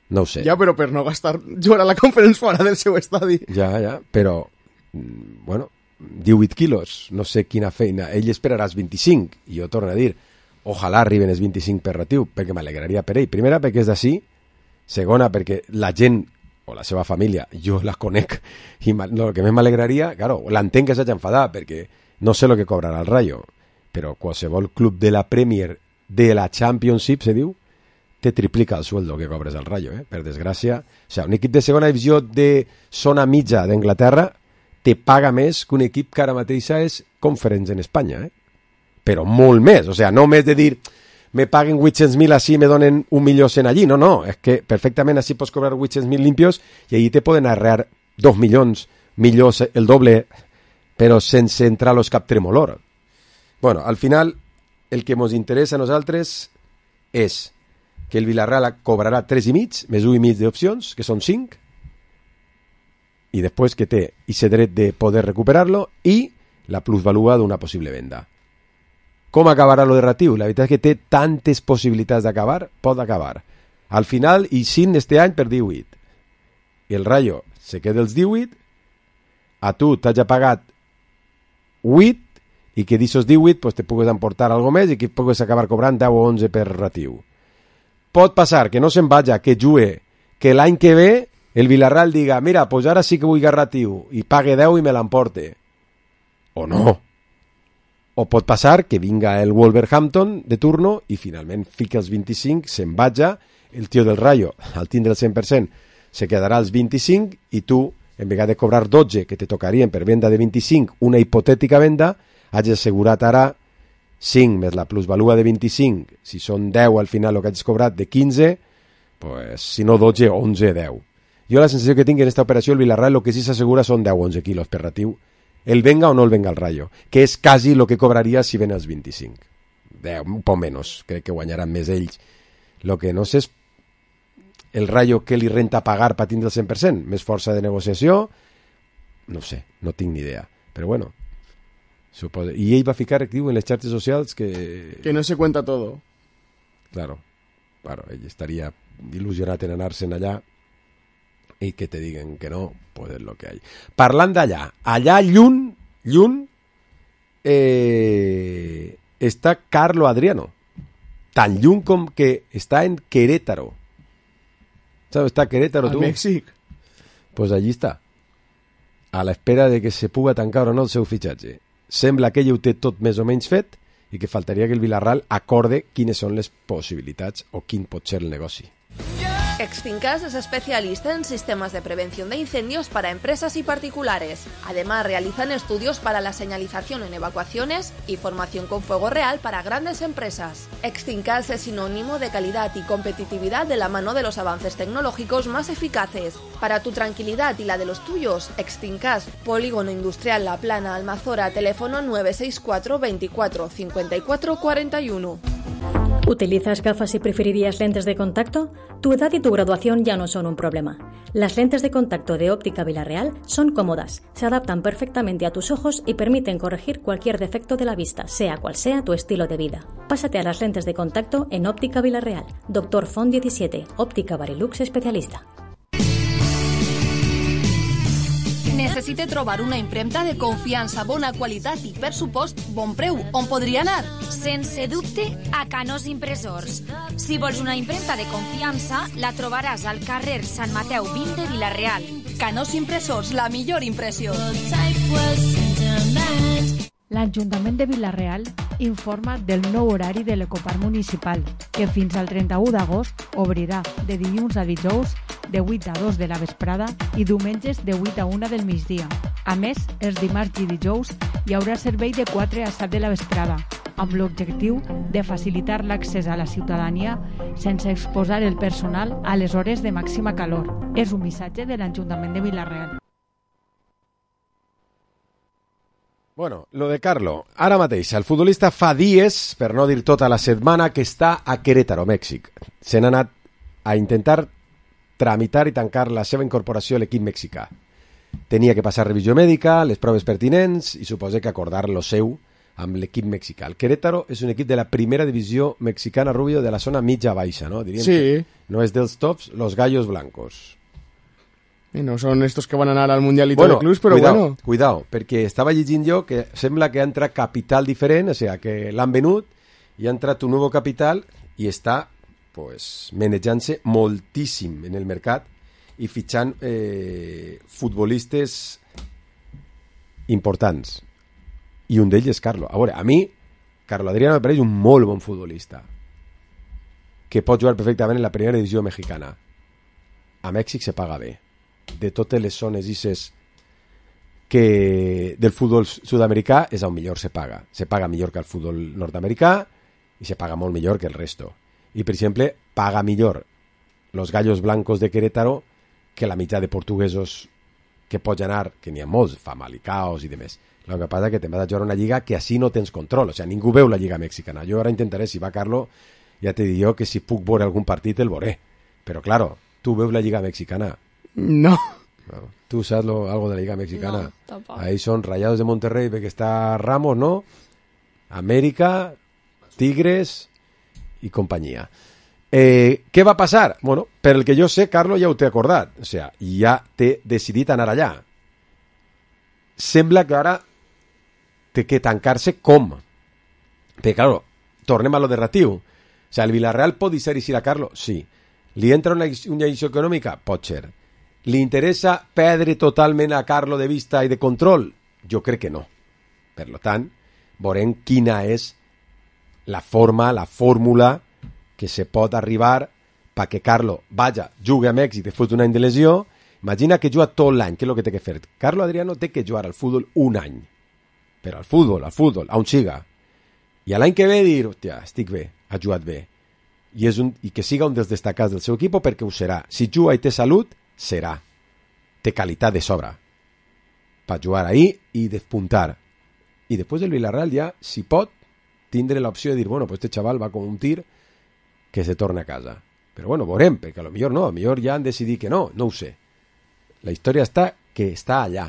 no ho sé. Ja, però per no gastar, jugar a la Conference fora del seu estadi. Ja, però, bueno, 18 quilos, no sé quina feina. Ell esperarà els 25, i jo torno a dir, ojalà arriben els 25 per Ratiu, perquè m'alegraria per ell. Primera, perquè és d'ací. Segona, perquè la gent, o la seva família, jo la conec, i el que més m'alegraria, claro, l'entenc que s'hagi enfadat, perquè no sé el que cobrarà el Rayo, però qualsevol club de la Premier, de la Championship, se diu, te triplica el sueldo que cobres al Rayo, per desgràcia. O sea, un equip de segona divisió de zona mitja d'Anglaterra te paga més que un equip que ara mateixa és Conference en Espanya, però molt més. O sea, no més de dir, me paguen 800.000 així me donen 1.100.000 allí. No, és que perfectament així pots cobrar 800.000 limpios i allí te poden arrear 2 milions, millors el doble, però sense entrar los cap tremolor. Bueno, al final, el que ens interessa a nosaltres és que el Villarreal cobrarà 3,5 més 1,5 d'opcions, que són 5, i després que té ese dret de poder recuperar-lo i la plusvalua d'una possible venda. Com acabarà lo de Ratiu? La veritat és que té tantes possibilitats d'acabar, pot acabar. Al final, i sin este any per 18. I el Rayo se queda els 18, a tu t'hagi pagat 8, i que d'aixòs 18 pues, te pugues emportar algo més i que pugues acabar cobrant 10 o 11 per Ratiu. Pot passar que no se'n vaja, que jugue, que l'any que ve el Villarreal diga, mira, pues ara sí que vull Ratiu i pague 10 i me l'emporte. O no. O pot passar que vinga el Wolverhampton de turno i finalment fica els 25, se'n vaja, el tio del Rayo, al tindre el 100%, se quedarà als 25 i tu, en vegada de cobrar 12 que te tocarien per venda de 25, una hipotètica venda, hagi assegurat ara 5 més la plusvalua de 25, si són 10 al final el que hagis cobrat de 15, pues, si no 12, 11, 10. Jo la sensació que tinc en aquesta operació el Villarreal el que sí s'assegura són 10 o 11 quilos per Ratiu, el venga o no el venga el Rayo, que és quasi el que cobraria si ven els 25. 10, un poc menys, crec que guanyaran més ells. El que no sé és el Rayo que li renta pagar per tindre el 100%, més força de negociació, no sé, no tinc ni idea, però bueno. I ell va ficar, diu, en les xarxes socials que... Que no se cuenta todo. Claro, ell estaria il·lusionat en anar-se'n allà i que te diguen que no, pues és lo que hay. Parlant d'allà, allà lluny, està Carlo Adriano, tan lluny com que està en Querétaro. ¿Sabes? Está Querétaro, tu. Al Mèxic. Pues allí està, a l'espera de que se puga tancar o no el seu fitxatge. Sembla que ell ho té tot més o menys fet i que faltaria que el Villarreal acorde quines són les possibilitats o quin pot ser el negoci. Extincas es especialista en sistemas de prevención de incendios para empresas y particulares. Además, realizan estudios para la señalización en evacuaciones y formación con fuego real para grandes empresas. Extincas es sinónimo de calidad y competitividad de la mano de los avances tecnológicos más eficaces. Para tu tranquilidad y la de los tuyos, Extincas, Polígono Industrial La Plana, Almazora, teléfono 964 24 54 41. ¿Utilizas gafas y preferirías lentes de contacto? Tu edad y tu graduación ya no son un problema. Las lentes de contacto de Óptica Villarreal son cómodas, se adaptan perfectamente a tus ojos y permiten corregir cualquier defecto de la vista, sea cual sea tu estilo de vida. Pásate a las lentes de contacto en Óptica Villarreal. Dr. Font 17, Òptica Barilux especialista. Necessite trobar una impremta de confiança, bona qualitat i, per supost, bon preu. On podria anar? Sense dubte, a Canós Impressors. Si vols una impremta de confiança, la trobaràs al carrer Sant Mateu 20 de Vila-real. Canós Impressors, la millor impressió. L'Ajuntament de Vila-real informa del nou horari de l'Ecoparc Municipal, que fins al 31 d'agost obrirà de dilluns a dijous de 8 a 2 de la vesprada i diumenges de 8 a 1 del migdia. A més, els dimarts i dijous hi haurà servei de 4 a 7 de la vesprada, amb l'objectiu de facilitar l'accés a la ciutadania sense exposar el personal a les hores de màxima calor. És un missatge de l'Ajuntament de Vila-real. Bueno, lo de Carlo. Ara mateix, el futbolista fa dies, per no dir tota la setmana, que està a Querétaro, Mèxic. Se n'ha anat a intentar tramitar i tancar la seva incorporació a l'equip mexicà. Tenia que passar revisió mèdica, les proves pertinents i suposa que acordar lo seu amb l'equip mexicà. El Querétaro és un equip de la primera divisió mexicana, Rubio, de la zona mitja-baixa, ¿no? Diríem sí. Que no és dels tops, los gallos blancos. Y no son estos que van a anar al Mundialito de Clubs, però bueno. Cuidao, perquè estava llegint jo que sembla que ha entrat capital diferent, o sigui, que l'han venut i ha entrat un nou capital i està pues, manejant-se moltíssim en el mercat i fitxant futbolistes importants. I un d'ells és Carlo. A veure, a mi, Carlo Adriano me pareix un molt bon futbolista que pot jugar perfectament en la primera divisió mexicana. A Mèxic se paga bé. De totes les zones ICES que del futbol sud-americà és on millor se paga. Se paga millor que el futbol nord-americà i se paga molt millor que el resto. I, per exemple, paga millor los gallos blancos de Querétaro que la mitad de portuguesos que pots anar, que n'hi ha molts, Famalicaos i demés. El que passa és que te'n vas a jugar una lliga que així no tens control, o sigui, ningú veu la lliga mexicana. Jo ara intentaré, si va Carlo, ja te dic jo que si puc veure algun partit el veuré. Però, claro, tu veus la lliga mexicana? No. ¿Tú sabes algo de la liga mexicana? No, tampoco. Ahí son Rayados de Monterrey, ve que está Ramos, ¿no? América, Tigres y compañía. Què va passar? Bueno, per el que jo sé, Carlo, ja ho t'he acordat. O sigui, ja t'he decidit anar allà. Sembla que ara té que tancar-se com? Perquè, claro, tornem a lo de Ratiu. O sigui, el Villarreal pot deixar a Carlo? Sí. Li entra una lliçó econòmica? Pot ser. Li interessa perdre totalment a Carlo de vista i de control? Jo crec que no. Per tant, veurem quina és la forma, la fórmula que se pot arribar perquè Carlo vaya, jugui amb èxit després d'un any de lesió. Imagina que juga tot l'any, què és el que té que fer? Carlo Adriano té que jugar al futbol un any. Però al futbol, on siga. I l'any que ve dir, hòstia, estic bé, ha jugat bé. I que siga un dels destacats del seu equip perquè ho serà. Si juga i té salut, serà. Té qualitat de sobra per jugar ahí i despuntar. I després el Villarreal ja, si pot, tindre l'opció de dir, bueno, pues este chaval va com un tir que se torna a casa. Però bueno, veurem, perquè a lo millor no, a lo millor ja han decidit que no ho sé. La història està que està allà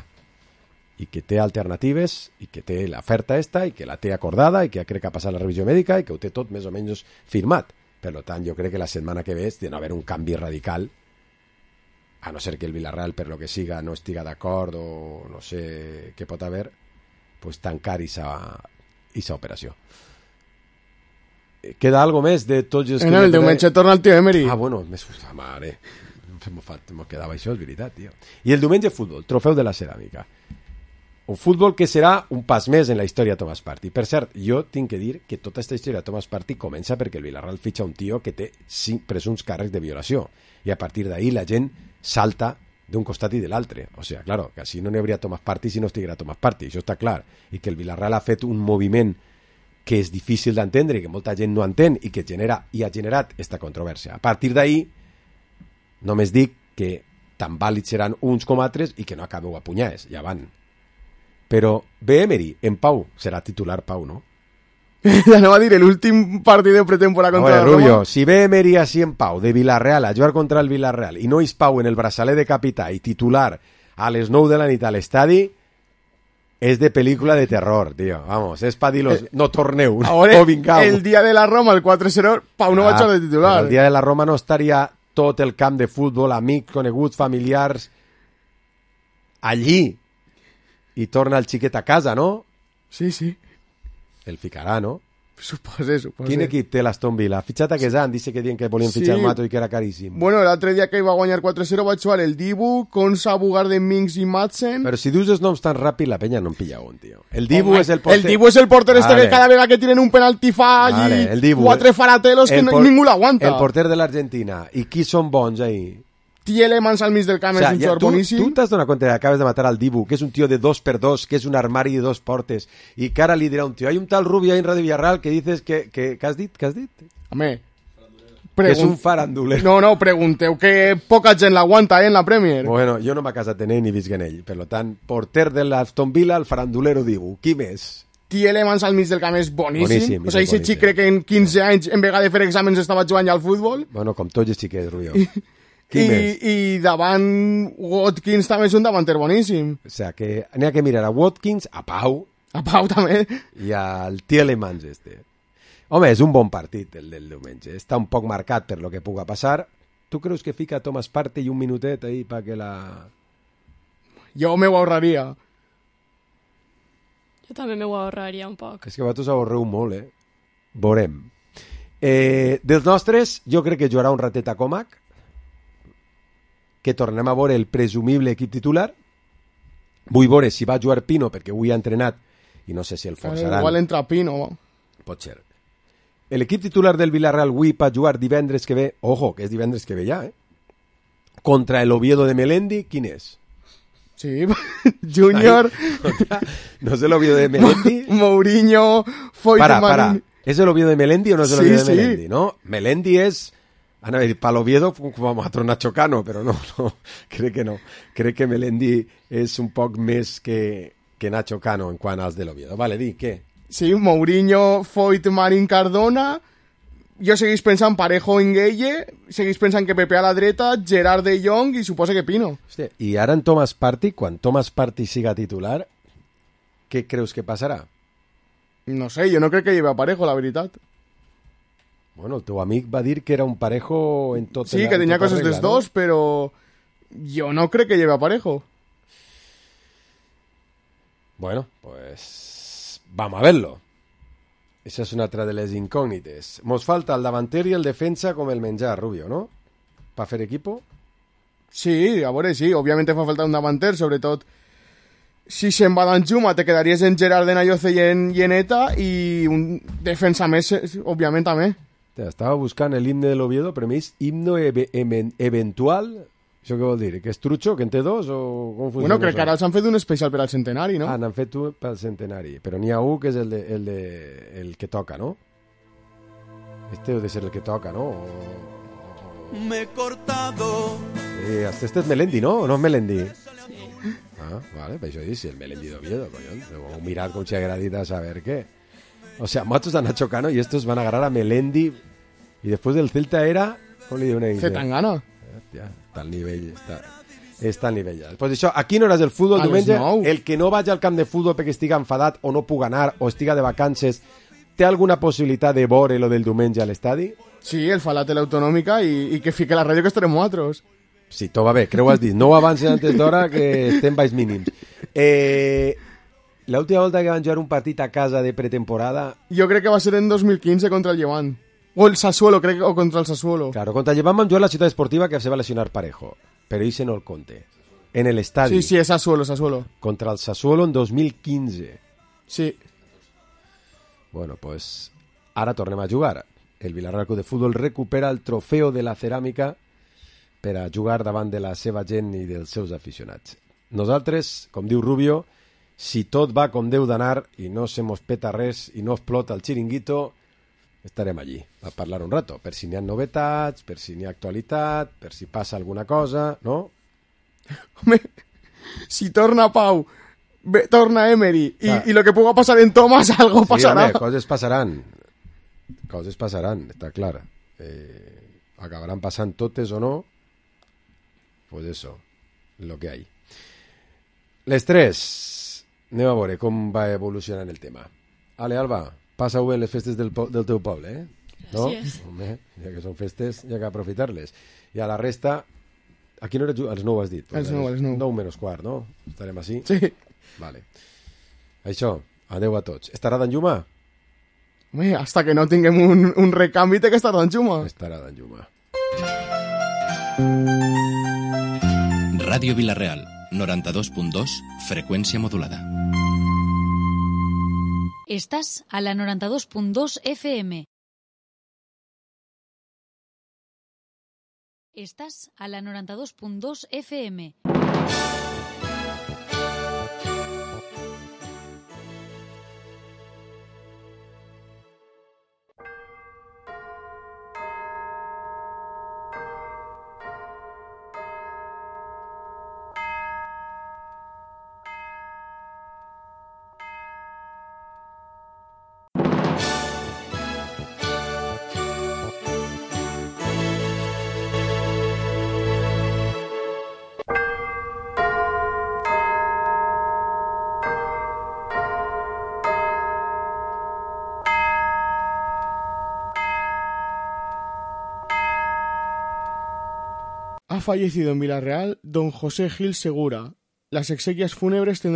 i que té alternatives i que té l'oferta esta i que la té acordada i que crec que ha passat la revisió mèdica i que ho té tot més o menys firmat. Per tant, jo crec que la setmana que ve ha d'haver un canvi radical, a no ser que el Villarreal, per lo que siga, no estiga d'acord o no sé què pot haver, pues tancar esa operació. Queda algo més de tots els... El diumenge torna el tio Emery. Ah, bueno, mare, m'ho quedava això, és veritat, tio. I el diumenge futbol, trofeu de la ceràmica. Un futbol que serà un pas més en la història de Thomas Partey. Per cert, jo tinc que dir que tota aquesta història de Thomas Partey comença perquè el Villarreal fitxa un tio que té 5 presumpts càrrecs de violació. I a partir d'ahí la gent salta d'un costat i de l'altre. O sigui, claro, que així no n'hi hauria Thomas Partey si no estiguera Thomas Partey, això està clar. I que el Villarreal ha fet un moviment que és difícil d'entendre i que molta gent no entén i que genera i ha generat esta controvèrsia. A partir d'ahí, només dic que tan vàlids seran uns com altres i que no acabeu a punyades, ja van. Però ve Emery, en Pau, serà titular Pau, no? Ja no va dir l'últim partit de pretemporada contra la Roma. Rubio, si ve Emery així en Pau, de Villarreal, a jugar contra el Villarreal, i no és Pau en el braçalet de capità i titular a les 9 de la nit a l'estadi, és de pel·lícula de terror, tio. Vamos, és pa dir-los, no torneu, no vingau. El dia de la Roma, el 4-0, Pau no va jugar de titular. El dia de la Roma no estaria tot el camp de futbol, amics, coneguts, familiars, allí. I torna el xiquet a casa, no? Sí, sí. El ficarà, no? Supose. Quin equip té l'Aston Villa? Ha fitxat a Quesant, dice que diuen que volien fitxar Mato i que era caríssim. Bueno, l'altre dia que va guanyar 4-0 va jugar el Dibu, Konsa, Bugarde, Minks i Madsen. Però si dius els noms tan ràpid, la penya no en pilla un, tio. El Dibu és el porter. El Dibu és el porter este que cada vegada que tiren un penalti fa allí 4 faratelos que ningú l'aguanta. El porter de l'Argentina. I qui són bons ahí? Tielemans al mig del camp, és un jugador boníssim. Tu t'has donat compte que acabes de matar al Dibu, que és un tio de 2x2, que és un armari de 2 portes, i que ara li dirà un tio, hay un tal Rubio ahí en Radio Villarreal que dices que has dit? Què has dit? Home, que és un farandulero. No, pregunteu que poca gent l'aguanta, en la Premier. Bueno, jo no m'ha casat en ell ni visc en ell, per tant, porter de l'Aston Villa, el farandulero Dibu. Qui més? Tielemans al mig del camp és boníssim. O sigui, aquest xic crec que en 15 anys, en vegada de fer exàmens, estava jugant ja al futbol. Bueno, com tots els xiquets, Rubio. I davant Watkins també és un davanter boníssim. O sigui, que n'hi ha que mirar a Watkins, a Pau també i al Tielemans este. Home, és un bon partit el del diumenge, està un poc marcat per lo que puga passar. Tu creus que fica Thomas Partey un minutet ahí para que la... Jo me ho ahorraria. Jo també me ho ahorraria un poc. És que vosaltres ahorreu molt, Veurem. Dels nostres, jo crec que jugarà un ratet a Comac, que tornem a veure el presumible equip titular. Vull veure si va jugar Pino, perquè avui ha entrenat i no sé si el forçaran. Igual entra Pino. Pot ser. L'equip titular del Villarreal avui va jugar divendres que ve, ojo, que és divendres que ve ja, contra el Oviedo de Melendi. Quin és? Sí, Junior. No sé l'Oviedo de Melendi. Mourinho, Foyt Marín. ¿Es el Oviedo de Melendi o no es el Oviedo de Sí. Melendi? ¿No? Melendi es... A ver, para l'Oviedo vamos a tronar Nacho Cano, però no, crec que no. Crec que Melendi és un poc més que Nacho Cano en quant als de l'Oviedo. Vale, di, què? Sí, Mourinho, Foyt, Marín, Cardona... Jo seguís pensant Parejo en Gueye, seguís pensant que Pepe a la dreta, Gerard de Jong i suposa que Pino. Hòstia, i ara en Thomas Partey, quan Thomas Partey siga titular, què creus que passarà? No sé, jo no crec que lleve a Parejo, la veritat. Bueno, el teu amic va dir que era un Parejo en tot... Sí, que tenia coses dels dos, però jo no crec que lleve a Parejo. Bueno, pues vamos a verlo. Esa és una altra de les incògnites. Mos falta el davanter i el defensa com el menjar, Rubio, no? Pa fer equipo? Sí, a veure, sí. Òbviament fa falta un davanter, sobretot si se'n va d'Anjuma te quedaries en Gerard de Nayoce i en Eta i un defensa més, òbviament, també. Estava buscant l'himne de l'Oviedo, però més himno eventual. Això què vol dir? Que és trucho, que en té dos? O com funciona? Bueno, crec que ara els han fet un especial per al centenari, no? Ah, n'han fet un pel centenari. Però n'hi ha un que és el que toca, no? Este deu de ser el que toca, no? Me he cortado. Este és Melendi, no? O no és Melendi? Sí. Ah, vale, per això dic, si el Melendi d'Oviedo, collons. Heu mirat com s'ha agradit a saber què. O sea, matos a Nacho Cano y estos van a agarrar a Melendi. Y después del Celta era... ¿Cómo le diu una idea? Zetangana. Ja, està al nivell, està al nivell ja. Pues això, aquí no hores del futbol, diumenge, el que no vagi al camp de futbol perquè estiga enfadat o no puga anar o estiga de vacances, té alguna possibilitat de veure lo del diumenge a l'estadi? Sí, el fa la tele autonòmica i que fique la ràdio que estarem nosaltres. Sí, tot va bé, creu has dit. No avancen antes d'hora que estem baix mínims. L'última volta que van jugar un partit a casa de pretemporada... Jo crec que va ser en 2015 contra el Llevant. O el Sassuolo, crec, o contra el Sassuolo. Claro, contra el Llevant van jugar la Ciutat Esportiva que se va a lesionar Parejo. Pero ese no el conte. En el estadio. Sí, es Sassuolo. Contra el Sassuolo en 2015. Sí. Bueno, pues ara tornem a jugar. El Villarreal Club de Futbol recupera el trofeu de la ceràmica per a jugar davant de la seva gent i dels seus aficionats. Nosaltres, com diu Rubio, si tot va com deu d'anar i no se mos peta res i no explota el xiringuito, estarem allí a parlar un rato, per si n'hi ha novetats, per si n'hi ha actualitat, per si passa alguna cosa, no? Home, si torna Pau, torna Emery i lo que puga passar en Thomas, algo passarà. Sí, home, coses passaran, està clar. Acabaran passant totes o no, pues eso, lo que hay. Les 3, anem a veure com va evolucionant el tema. Ale, Alba, passa-ho bé en les festes del teu poble, eh? No? Home, ja que són festes, ja que aprofitar-les. I a la resta, a quina hora a les 9 has dit? A les 9. 9 menys quart, no? Estarem així? Sí. Vale. Això, adeu a tots. Estarà d'Anjuma? Home, hasta que no tinguem un recanvi té que estar d'Anjuma. Estarà d'Anjuma. Ràdio Vilareal, 92.2, freqüència modulada. Estás a la 92.2 FM. Estás a la 92.2 FM. Ha fallecido en Villarreal don José Gil Segura. Las exequias fúnebres tendrán